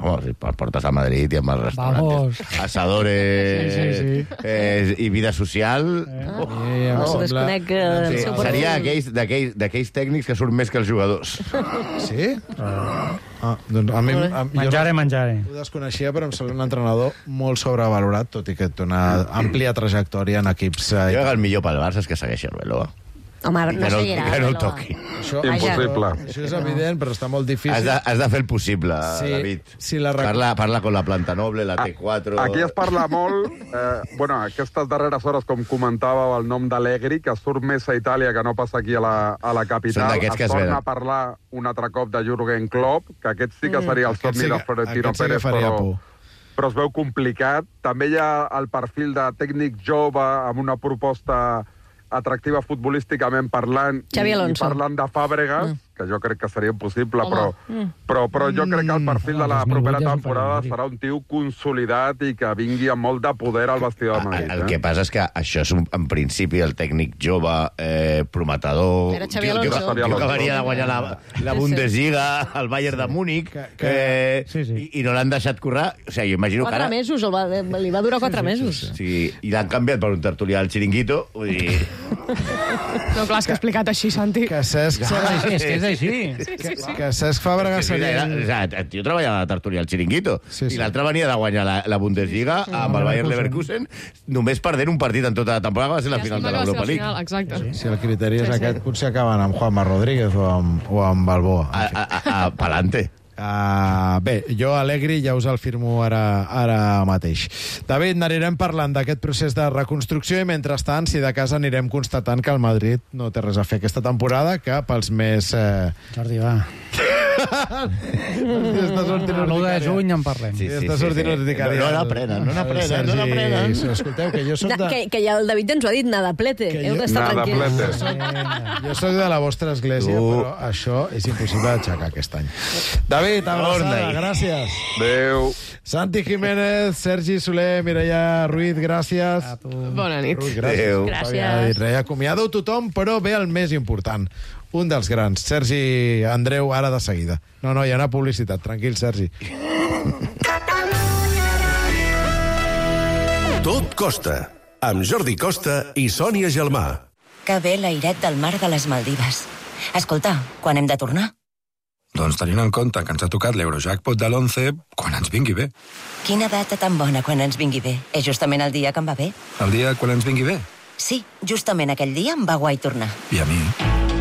oh, si portes a Madrid i amb els restaurantes, asadores Sí, sí, sí. Eh, i vida social. Eh. Oh, Sí, em No, sembla- desconec eh, el sí, seu seria perfil. aquells, d'aquells, d'aquells tècnics que surt més que els jugadors. Sí? Ah, doncs a mi... A, jo Menjare, no- menjare. Ho desconeixia, però em sembla un entrenador molt sobrevalorat, tot i que té una àmplia trajectòria en equips... Jo Eh, crec que el millor pel Barça és que segueixi Arbeloa. Home, I no que no, seguirà. que no el Arbeloa. toqui. això, Impossible. Això és evident, però està molt difícil. Has de, has de fer el possible, Sí, David. sí, la rec- parla, parla con la planta noble, la T quatre... Aquí es parla molt, eh, bueno, aquestes darreres hores, com comentàveu, el nom d'Allegri, que surt més a Itàlia que no passa aquí a la, a la Són capital. d'aquests que Es es torna venen. a parlar un altre cop de Jürgen Klopp, que aquest sí que Mm. seria el Aquest somni sí de que- Florentino aquest sí que Pérez, faria però, por. però es veu complicat. També hi ha el perfil de tècnic jove amb una proposta atractiva futbolísticament parlant Xavi i, i Alonso. parlant de Fàbregas, Mm. que jo crec que seria impossible, Home. però, Mm. però, però jo crec que el perfil de la dos mil vuit propera ja és un temporada parell, serà un tio consolidat i que vingui amb molt de poder al vestidor de Madrid. El eh? que passa és que això és, un, en principi, el tècnic jove, eh, prometedor... Era Xavi tio- tio que- Alonso. tio que venia de guanyar la, la Sí, sí. Bundesliga, el Bayern de Múnich, eh, Sí, sí. i, i no l'han deixat currar. O sigui, jo imagino que Quatre ara... mesos, el va, li va durar quatre mesos. Sí, i l'han canviat per un tertulià al Chiringuito. Vull dir... No, clar, és que explicat així, Santi. Que Cesc... És així, és que és així. Que, que Cesc Fàbregas Sí, seria... era, o sigui, el tio treballava a la tertúlia al Chiringuito, Sí, sí. i l'altre venia de guanyar la, la Bundesliga amb el Bayern Leverkusen, només perdent un partit en tota la temporada, que va ser la Ja final sembla de que va ser l'Europa la League. final, exacte. Si el criteri és Sí, sí. aquest, potser acaben amb Juanma Rodríguez o amb, o amb Balboa. A, a, a, a, palante. Uh, bé, jo Alegri ja us el firmo ara, ara mateix. David, n'anirem parlant d'aquest procés de reconstrucció i mentrestant, si de casa anirem constatant que el Madrid no té res a fer aquesta temporada, que pels més... Eh... Jordi, va. Està sortint l'u de urticària. juny en parlem. Sí, sí, està sortint urticària. No, no n'aprenen, no n'aprenen, Sergi, no n'aprenen. Escolteu, que jo soc Na, de... que, que ja el David ens ho ha dit, nada plete. Que Heu jo- d'estar Nada tranquils. plete. Jo sóc de la vostra església, Tu. però això és impossible d'aixecar aquest any. David, abraçada, Torna-hi. gràcies. Adéu. Santi Jiménez, Sergi Soler, Mireia Ruiz, gràcies. A tu. Bona nit. Ruiz, gràcies. Adéu. Gràcies. Res, acomiado tothom, però ve el més important. Un dels grans, Sergi Andreu, ara de seguida. No, no, hi ha una publicitat. Tranquil, Sergi. Tot costa, amb Jordi Costa i Sònia Gelmà. Que bé l'airet del mar de les Maldives. Escolta, quan hem de tornar? Doncs tenint en compte que ens ha tocat l'Eurojackpot de l'onze, quan ens vingui bé. Quina data tan bona quan ens vingui bé. És justament el dia que em va bé. El dia quan ens vingui bé. Sí, justament aquell dia em va guai tornar. I a mi.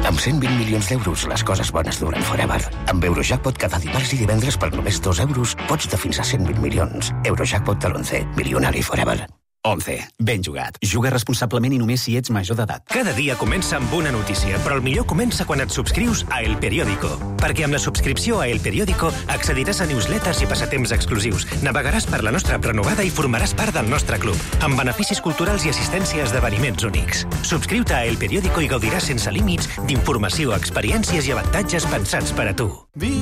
Amb cent vint milions d'euros, les coses bones duren forever. Amb Eurojackpot cada dimarts i divendres per només dos euros pots de fins a cent vint milions. Eurojackpot de l'onze. Milionari forever. onze. Ben jugat. Juga responsablement i només si ets major d'edat. Cada dia comença amb una notícia, però el millor comença quan et subscrius a El Periódico. Perquè amb la subscripció a El Periódico accediràs a newsletters i passatemps exclusius, navegaràs per la nostra app renovada i formaràs part del nostre club, amb beneficis culturals i assistència a esdeveniments únics. Subscriu-te a El Periódico i gaudiràs sense límits d'informació, experiències i avantatges pensats per a tu.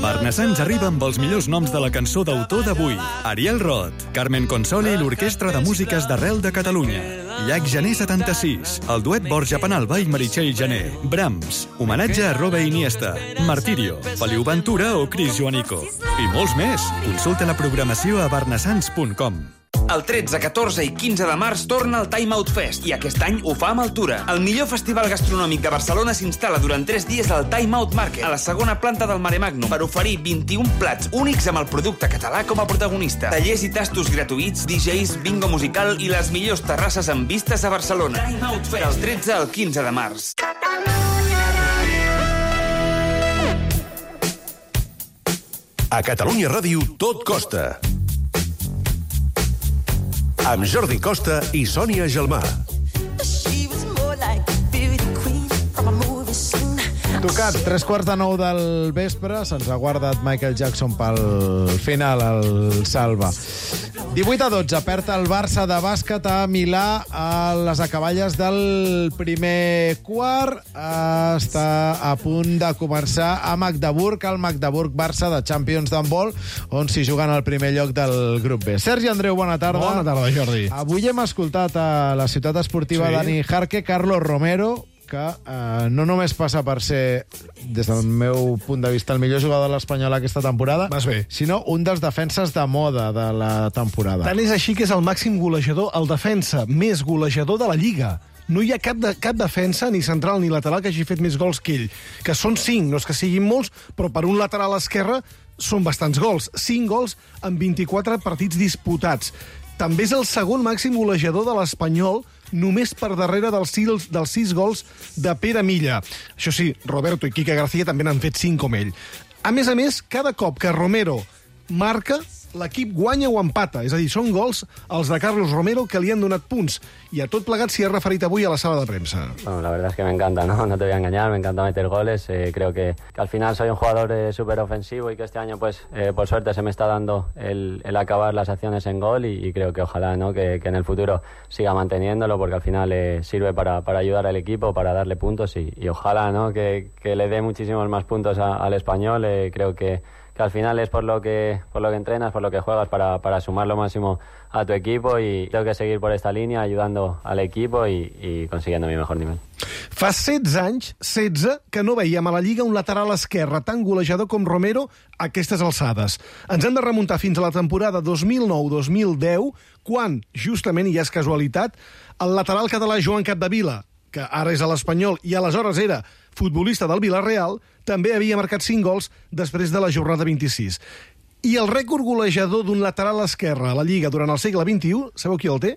Barnassans arriba amb els millors noms de la cançó d'autor d'avui. Ariel Roth, Carmen Consoli i l'Orquestra de Músiques d'Arrel Model de Catalunya. Llac Gener setanta-sis, el duet Borja Penalba i Meritxell Gener. Brahms, homenatge a Robe Iniesta. Martirio, Feliu Ventura o Cris Joanico. I molts més. Consulta la programació a barnassans punt com. El tretze, catorze i quinze de març torna el Time Out Fest i aquest any ho fa amb Altura. El millor festival gastronòmic de Barcelona s'instal·la durant tres dies al Time Out Market, a la segona planta del Mare Magnum, per oferir vint-i-un plats únics amb el producte català com a protagonista. Tallers i tastos gratuïts, D Js, bingo musical i les millors terrasses amb vistes a Barcelona. Time Out Fest, del tretze al quinze de març. A Catalunya Ràdio tot costa. Amb Jordi Costa i Sònia Gelmà. Tocat, tres quarts de nou del vespre, se'ns ha guardat Michael Jackson pel final, el Salva. divuit a dotze, perd el Barça de bàsquet a Milà a les acaballes del primer quart. Està a punt de començar a Magdeburg, el Magdeburg-Barça de Champions d'handbol, on s'hi juguen el primer lloc del grup B. Sergi Andreu, bona tarda. Bona tarda, Jordi. Avui hem escoltat a la ciutat esportiva sí. Dani Jarque, Carlos Romero, que eh, no només passa per ser, des del meu punt de vista, el millor jugador de l'Espanyol aquesta temporada, sinó un dels defenses de moda de la temporada. Tant és així que és el màxim golejador, el defensa més golejador de la Lliga. No hi ha cap, de, cap defensa, ni central ni lateral, que hagi fet més gols que ell. Que són cinc, no és que siguin molts, però per un lateral esquerre són bastants gols. Cinc gols en vint-i-quatre partits disputats. També és el segon màxim golejador de l'Espanyol, només per darrere dels sis, dels sis gols de Pere Milla. Això sí, Roberto i Quique García també n'han fet cinc com ell. A més a més, cada cop que Romero marca, l'equip guanya o empata. És a dir, són gols els de Carlos Romero que li han donat punts. I a tot plegat s'hi ha referit avui a la sala de premsa. Bueno, la verdad es que me encanta, ¿no? No te voy a engañar, me encanta meter goles. Eh, creo que, que al final soy un jugador eh, súper ofensivo y que este año, pues, eh, por suerte se me está dando el, el acabar las acciones en gol y, y creo que ojalá, ¿no? Que, que en el futuro siga manteniéndolo porque al final eh, sirve para, para ayudar al equipo, para darle puntos y, y ojalá, ¿no? Que, que le dé muchísimos más puntos a, al Español. Eh, creo que que al final es por lo que por lo que entrenas, por lo que juegas, para, para sumar lo máximo a tu equipo y tengo que seguir por esta línea ayudando al equipo y, y consiguiendo mi mejor nivel. Fa setze anys, setze, que no veiem a la Lliga un lateral esquerre tan golejador com Romero a aquestes alçades. Ens hem de remuntar fins a la temporada dos mil nou dos mil deu, quan, justament, i és casualitat, el lateral català Joan Capdevila, que ara és a l'Espanyol i aleshores era futbolista del Villarreal, també havia marcat cinc gols després de la jornada vint-i-sis. I el rècord golejador d'un lateral esquerre a la Lliga durant el segle vint-i-u, sabeu qui el té?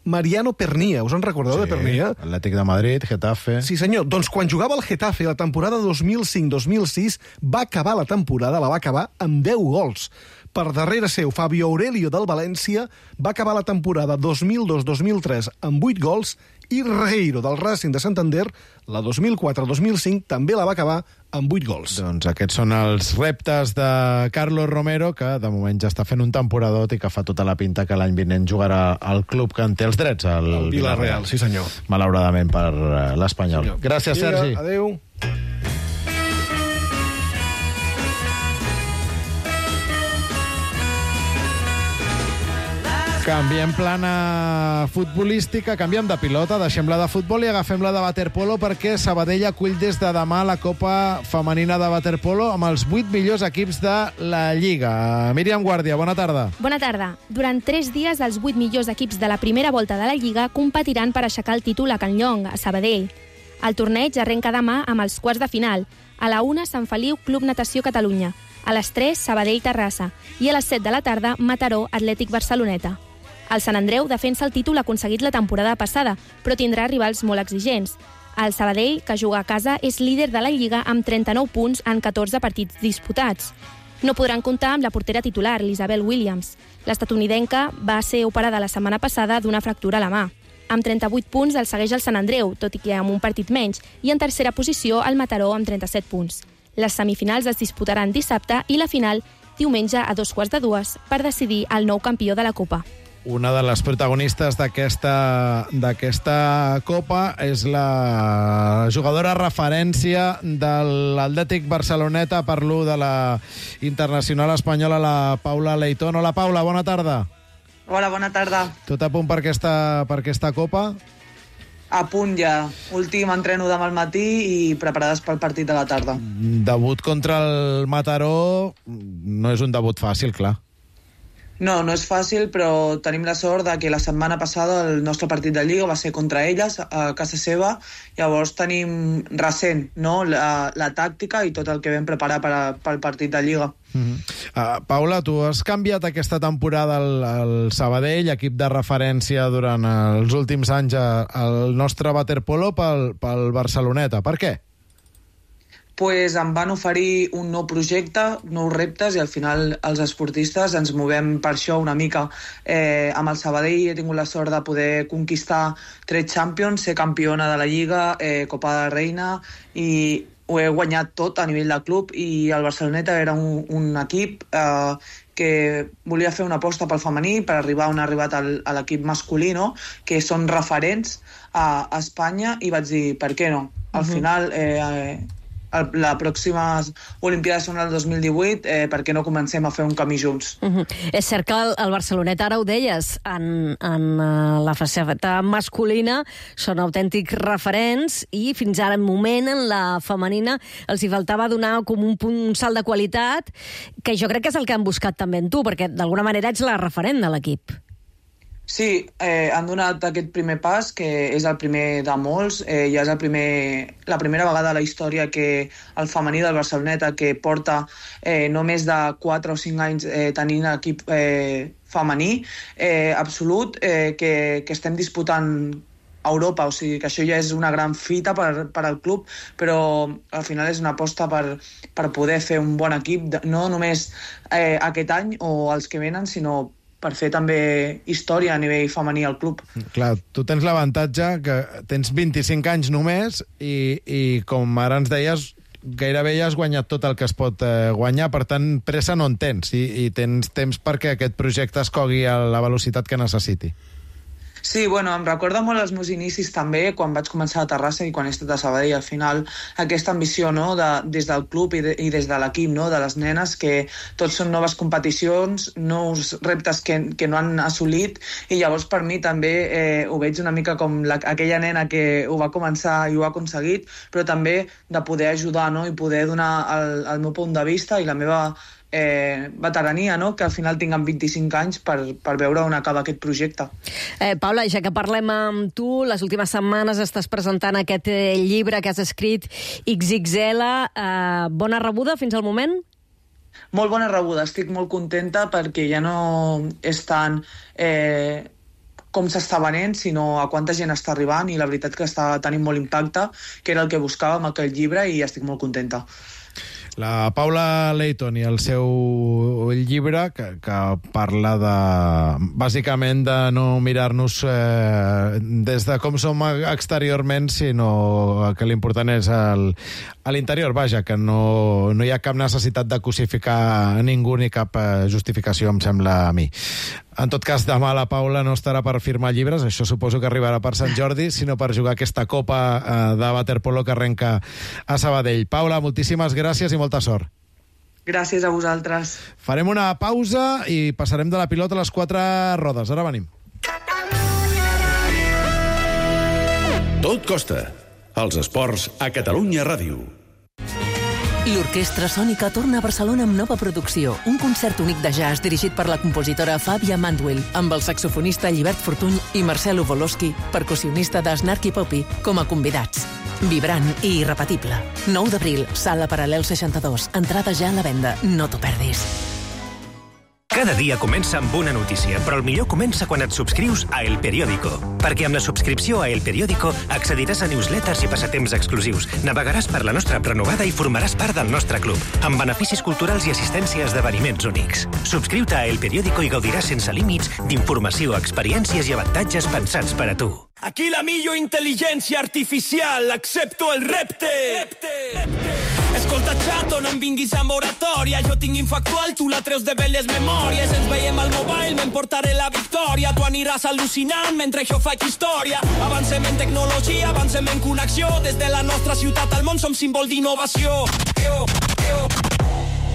Mariano Pernia. Us en recordeu, sí, de Pernia? Atlètic de Madrid, Getafe... Sí, senyor. Doncs quan jugava al Getafe la temporada dos mil cinc dos mil sis, va acabar la temporada, la va acabar amb deu gols. Per darrere seu, Fabio Aurelio del València va acabar la temporada dos mil dos dos mil tres amb vuit gols i Regueiro del Racing de Santander, la dos mil quatre dos mil cinc, també la va acabar amb vuit gols. Doncs aquests són els reptes de Carlos Romero, que de moment ja està fent un temporadot i que fa tota la pinta que l'any vinent jugarà al club que en té els drets, el, el Villarreal. Sí, senyor. Malauradament per l'Espanyol. Sí, gràcies, Vinga, Sergi. Adéu. Canviem plana futbolística, canviem de pilota, deixem la de futbol i agafem la de waterpolo perquè Sabadell acull des de demà la Copa Femenina de Waterpolo amb els vuit millors equips de la Lliga. Míriam Guàrdia, bona tarda. Bona tarda. Durant tres dies, els vuit millors equips de la primera volta de la Lliga competiran per aixecar el títol a Can Llong, a Sabadell. El torneig arrenca demà amb els quarts de final. A la una, Sant Feliu, Club Natació Catalunya. A les tres, Sabadell Terrassa. I a les set de la tarda, Mataró, Atlètic Barceloneta. El Sant Andreu defensa el títol aconseguit la temporada passada, però tindrà rivals molt exigents. El Sabadell, que juga a casa, és líder de la Lliga amb trenta-nou punts en catorze partits disputats. No podran comptar amb la portera titular, l'Isabel Williams. L'estatunidenca va ser operada la setmana passada d'una fractura a la mà. Amb trenta-vuit punts el segueix el Sant Andreu, tot i que amb un partit menys, i en tercera posició el Mataró amb trenta-set punts. Les semifinals es disputaran dissabte i la final diumenge a dos quarts de dues per decidir el nou campió de la Copa. Una de les protagonistes d'aquesta d'aquesta Copa és la jugadora referència de l'Atlètic Barceloneta, parlo de la internacional espanyola, la Paula Leitón. Hola, Paula, bona tarda. Hola, bona tarda. Tot a punt per aquesta, per aquesta Copa? A punt ja. Últim entreno demà al matí i preparades pel partit de la tarda. Debut contra el Mataró no és un debut fàcil, clar. No, no és fàcil, però tenim la sort de que la setmana passada el nostre partit de Lliga va ser contra elles, a casa seva. Llavors tenim recent, no?, la, la tàctica i tot el que vam preparar per a, pel partit de Lliga. Uh-huh. uh, Paula, tu has canviat aquesta temporada al, al Sabadell, equip de referència durant els últims anys al nostre waterpolo, pel, pel Barceloneta. Per què? Pues em van oferir un nou projecte, nous reptes, i al final els esportistes ens movem per això una mica. Eh, amb el Sabadell he tingut la sort de poder conquistar tres Champions, ser campiona de la Lliga, eh, Copa de Reina, i ho he guanyat tot a nivell de club, i el Barceloneta era un, un equip eh, que volia fer una aposta pel femení per arribar on ha arribat el, a l'equip masculí, no?, que són referents a, a Espanya, i vaig dir, per què no? Al uh-huh. final... Eh, eh, la pròxima Olimpíada són el dos mil divuit, eh, per què no comencem a fer un camí junts? Uh-huh. És cert que el, el Barceloneta, ara ho deies, en, en uh, la faceta masculina són autèntics referents, i fins ara en moment, en la femenina, els hi faltava donar com un, punt, un salt de qualitat, que jo crec que és el que han buscat també en tu, perquè d'alguna manera ets la referent de l'equip. Sí, eh, han donat aquest primer pas, que és el primer de molts. Eh, ja és el primer, la primera vegada a la història que el femení del Barceloneta, que porta eh, no més de quatre o cinc anys eh, tenint equip eh, femení eh, absolut, eh, que, que estem disputant a Europa, o sigui que això ja és una gran fita per, per al club, però al final és una aposta per, per poder fer un bon equip, no només eh, aquest any o els que venen, sinó per fer també història a nivell femení al club. Clar, tu tens l'avantatge que tens vint-i-cinc anys només i, i com ara ens deies, gairebé ja has guanyat tot el que es pot eh, guanyar, per tant, pressa no en tens, i, i tens temps perquè aquest projecte es cogui a la velocitat que necessiti. Sí, bueno, em recorda molt els meus inicis també, quan vaig començar a Terrassa i quan he estat a Sabadell. Al final, aquesta ambició, no?, de, des del club i, de, i des de l'equip, no?, de les nenes, que tots són noves competicions, nous reptes que, que no han assolit, i llavors per mi també eh, ho veig una mica com la, aquella nena que ho va començar i ho ha aconseguit, però també de poder ajudar, no?, i poder donar el, el meu punt de vista i la meva Eh, veterania, no?, que al final tinguem vint-i-cinc anys per, per veure on acaba aquest projecte. Eh, Paula, ja que parlem amb tu, les últimes setmanes estàs presentant aquest eh, llibre que has escrit, ics ics ele. Eh, bona rebuda fins al moment? Molt bona rebuda, estic molt contenta perquè ja no és tant eh, com s'està venent, sinó a quanta gent està arribant, i la veritat que està tenint molt impacte, que era el que buscàvem aquell llibre, i estic molt contenta. La Paula Leighton i el seu llibre, que, que parla de, bàsicament, de no mirar-nos eh, des de com som exteriorment, sinó que l'important és el, a l'interior, vaja, que no, no hi ha cap necessitat de cosificar ningú ni cap eh, justificació, em sembla a mi. En tot cas, demà la Paula no estarà per firmar llibres, això suposo que arribarà per Sant Jordi, sinó per jugar aquesta Copa eh, de waterpolo que arrenca a Sabadell. Paula, moltíssimes gràcies i molta sort. Gràcies a vosaltres. Farem una pausa i passarem de la pilota a les quatre rodes. Ara venim. Tot costa. Els esports a Catalunya Ràdio. L'Orquestra Sònica torna a Barcelona amb nova producció, un concert únic de jazz dirigit per la compositora Fàbia Mandwell, amb el saxofonista Llibert Fortuny i Marcelo Volosky, percussionista de Snarky Puppy, com a convidats. Vibrant i irrepetible. nou d'abril, Sala Paral·lel seixanta-dos. Entrada ja a la venda. No t'ho perdis. Cada dia comença amb una notícia, però el millor comença quan et subscrius a El Periódico. Perquè amb la subscripció a El Periódico accediràs a newsletters i passatemps exclusius, navegaràs per la nostra app renovada i formaràs part del nostre club, amb beneficis culturals i assistència a esdeveniments únics. Subscriu-te a El Periódico i gaudiràs sense límits d'informació, experiències i avantatges pensats per a tu. Aquí la millor intel·ligència artificial, accepto el repte. repte. Escolta, xato, no em vinguis amb oratòria. Jo tinc infactual, tu la treus de belles memòries. Ens veiem al mobile, m'emportaré la victòria. Tu aniràs al·lucinant mentre jo faig història. Avancem en tecnologia, avancem en connexió. Des de la nostra ciutat al món som símbol d'innovació.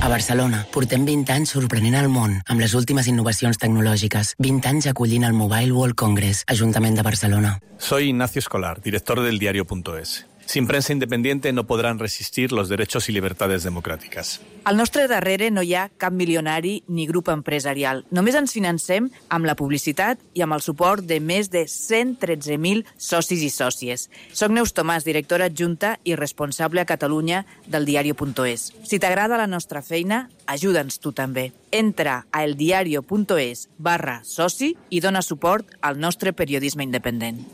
A Barcelona, portem vint anys sorprenent el món amb les últimes innovacions tecnològiques. vint anys acollint el Mobile World Congress, Ajuntament de Barcelona. Soy Ignacio Escolar, director del diario punto es. Sin prensa independiente no podrán resistir los derechos y libertades democráticas. Al nostre darrere no hi ha cap milionari ni grup empresarial. Només ens financem amb la publicitat i amb el suport de més de cent tretze mil socis i sòcies. Soc Neus Tomàs, directora adjunta i responsable a Catalunya del diario punto es. Si t'agrada la nostra feina, ajuda'ns tu també. Entra a eldiario.es barra soci i dona suport al nostre periodisme independent.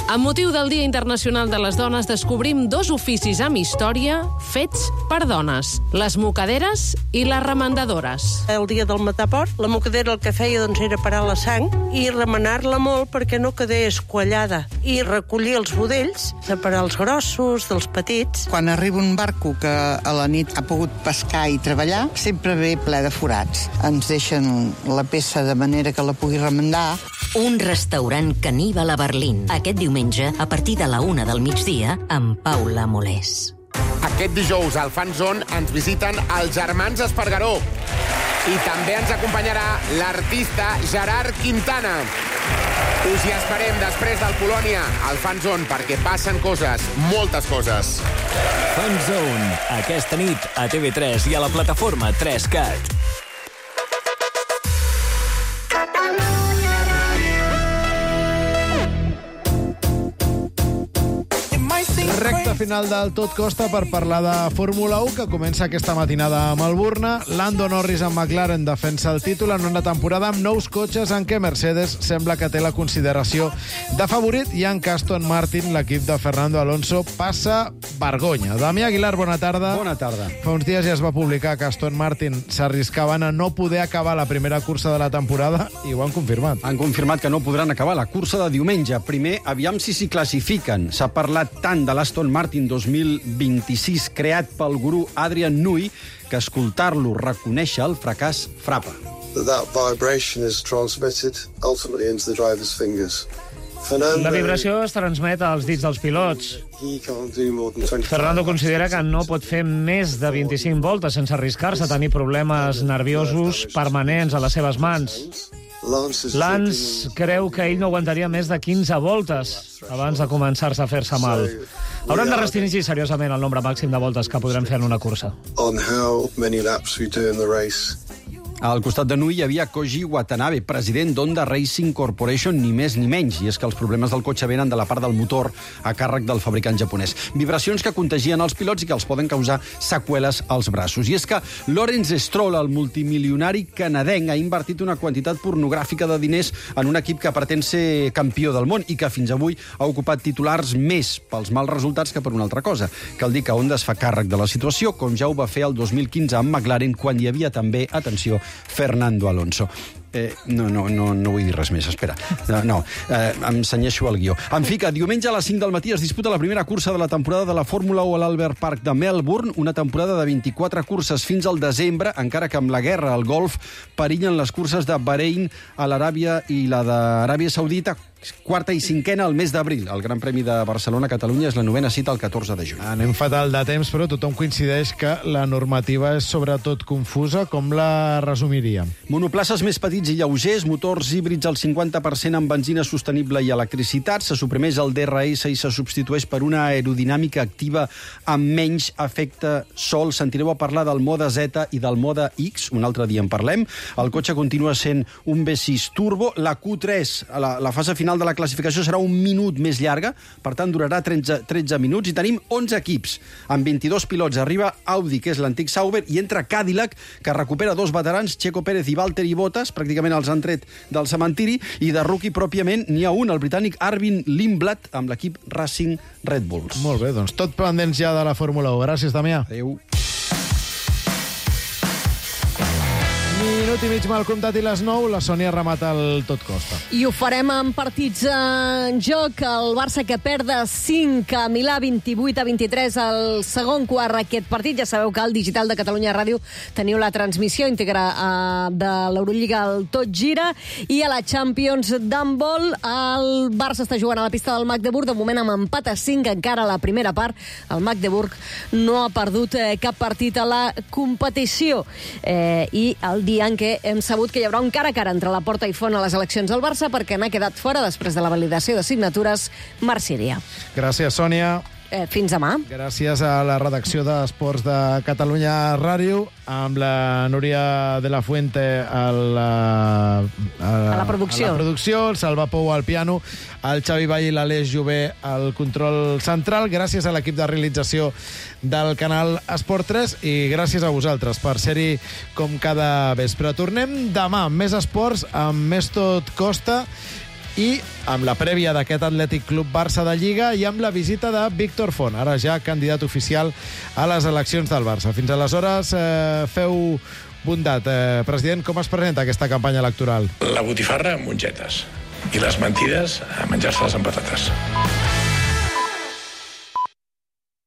Amb motiu del Dia Internacional de les Dones, descobrim dos oficis amb història fets per dones, les mocaderes i les remendadores. El dia del mataport, la mocadera el que feia doncs, era parar la sang i remenar-la molt perquè no quedés quallada i recollir els budells, separar els grossos dels petits. Quan arriba un barco que a la nit ha pogut pescar i treballar, sempre ve ple de forats. Ens deixen la peça de manera que la pugui remendar. Un restaurant caníbal a Berlín. Aquest diumenge, a partir de la una del migdia, amb Paula Molés. Aquest dijous al Fan Zone ens visiten els germans Espargaró. I també ens acompanyarà l'artista Gerard Quintana. Us hi esperem després del Polònia al Fan Zone perquè passen coses, moltes coses. Fan Zone, aquesta nit a T V tres i a la plataforma tres cat. Recta final del Tot Costa per parlar de Fórmula u, que comença aquesta matinada a Melbourne. Lando Norris amb McLaren defensa el títol en una temporada amb nous cotxes en què Mercedes sembla que té la consideració de favorit, i en Aston Martin l'equip de Fernando Alonso passa vergonya. Damià Aguilar, bona tarda. Bona tarda. Fa uns dies ja es va publicar que Aston Martin s'arriscaven a no poder acabar la primera cursa de la temporada i ho han confirmat. Han confirmat que no podran acabar la cursa de diumenge. Primer, aviam si s'hi classifiquen. S'ha parlat tant de l'Aston Martin dos mil vint-i-sis creat pel gurú Adrian Newey que escoltar-lo reconèixer el fracàs frapa. That vibration is transmitted ultimately into the driver's fingers. Fernando, la vibració es transmet als dits dels pilots. Fernando considera que no pot fer més de vint-i-cinc voltes sense arriscar-se a tenir problemes nerviosos permanents a les seves mans. Lance creu que ell no aguantaria més de quinze voltes abans de començar-se a fer-se mal. Hauran de restringir seriosament el nombre màxim de voltes que podrem fer en una cursa. On how many laps we do in the race. Al costat de Nui hi havia Koji Watanabe, president d'Honda Racing Corporation, ni més ni menys, i és que els problemes del cotxe venen de la part del motor a càrrec del fabricant japonès. Vibracions que contagien els pilots i que els poden causar seqüeles als braços. I és que Lawrence Stroll, el multimilionari canadenc, ha invertit una quantitat pornogràfica de diners en un equip que pretén ser campió del món i que fins avui ha ocupat titulars més pels mals resultats que per una altra cosa. Cal dir que Honda es fa càrrec de la situació, com ja ho va fer el dos mil quinze amb McLaren, quan hi havia també, atenció, Fernando Alonso. Eh, no, no, no, no vull dir res més, espera. No, no eh, em cenyeixo el guió. En fi, que diumenge a les cinc del matí es disputa la primera cursa de la temporada de la Fórmula u a l'Albert Park de Melbourne, una temporada de vint-i-quatre curses fins al desembre, encara que amb la guerra al Golf perillen les curses de Bahrein a l'Aràbia i la d'Aràbia Saudita, quarta i cinquena al mes d'abril. El Gran Premi de Barcelona-Catalunya és la novena cita el catorze de juny. Anem fatal de temps, però tothom coincideix que la normativa és sobretot confusa. Com la resumiríem? Monoplaces més petits i lleugers, motors híbrids al cinquanta per cent amb benzina sostenible i electricitat, se suprimeix el D R S i se substitueix per una aerodinàmica activa amb menys efecte sol. Sentireu a parlar del mode Z i del mode X, un altre dia en parlem. El cotxe continua sent un V sis turbo. La Q tres, la, la fase final de la classificació serà un minut més llarga, per tant durarà tretze, tretze minuts, i tenim onze equips amb vint-i-dos pilots. Arriba Audi, que és l'antic Sauber, i entra Cadillac, que recupera dos veterans, Checo Pérez i Valtteri Bottas, pràcticament els han tret del cementiri, i de rookie pròpiament n'hi ha un, el britànic Arvin Lindblad, amb l'equip Racing Red Bulls. Molt bé, doncs tot pendents ja de la Fórmula u. Gràcies, Damià. Adéu. Minut minut i mig mal comptat i les nou, la Sònia remata el tot costa. I ho farem amb partits en joc. El Barça que perd de cinc a Milà, vint-i-vuit a vint-i-tres al segon quart aquest partit. Ja sabeu que al Digital de Catalunya Ràdio teniu la transmissió íntegra uh, de l'Eurolliga al Tot Gira, i a la Champions d'handbol el Barça està jugant a la pista del Magdeburg, de moment amb empat a cinc encara a la primera part. El Magdeburg no ha perdut eh, cap partit a la competició. Eh, I el dia en què hem sabut que hi haurà un cara a cara entre la Porta i Font a les eleccions del Barça, perquè n'ha quedat fora després de la validació de signatures Marc Síria. Gràcies, Sònia. Eh, fins demà. Gràcies a la redacció d'Esports de Catalunya Ràdio, amb la Núria de la Fuente a la, a, a la producció, a la producció, el Salva Pou al piano, el Xavi Vall i l'Aleix Jové al control central. Gràcies a l'equip de realització del canal Esport tres i gràcies a vosaltres per ser-hi com cada vespre. Tornem demà amb més esports, amb més Tot Costa i amb la prèvia d'aquest Atlètic Club Barça de Lliga i amb la visita de Víctor Font, ara ja candidat oficial a les eleccions del Barça. Fins aleshores, eh, feu bondat. Eh, president, com es presenta aquesta campanya electoral? La botifarra amb mongetes i les mentides a menjar-se-les amb patates.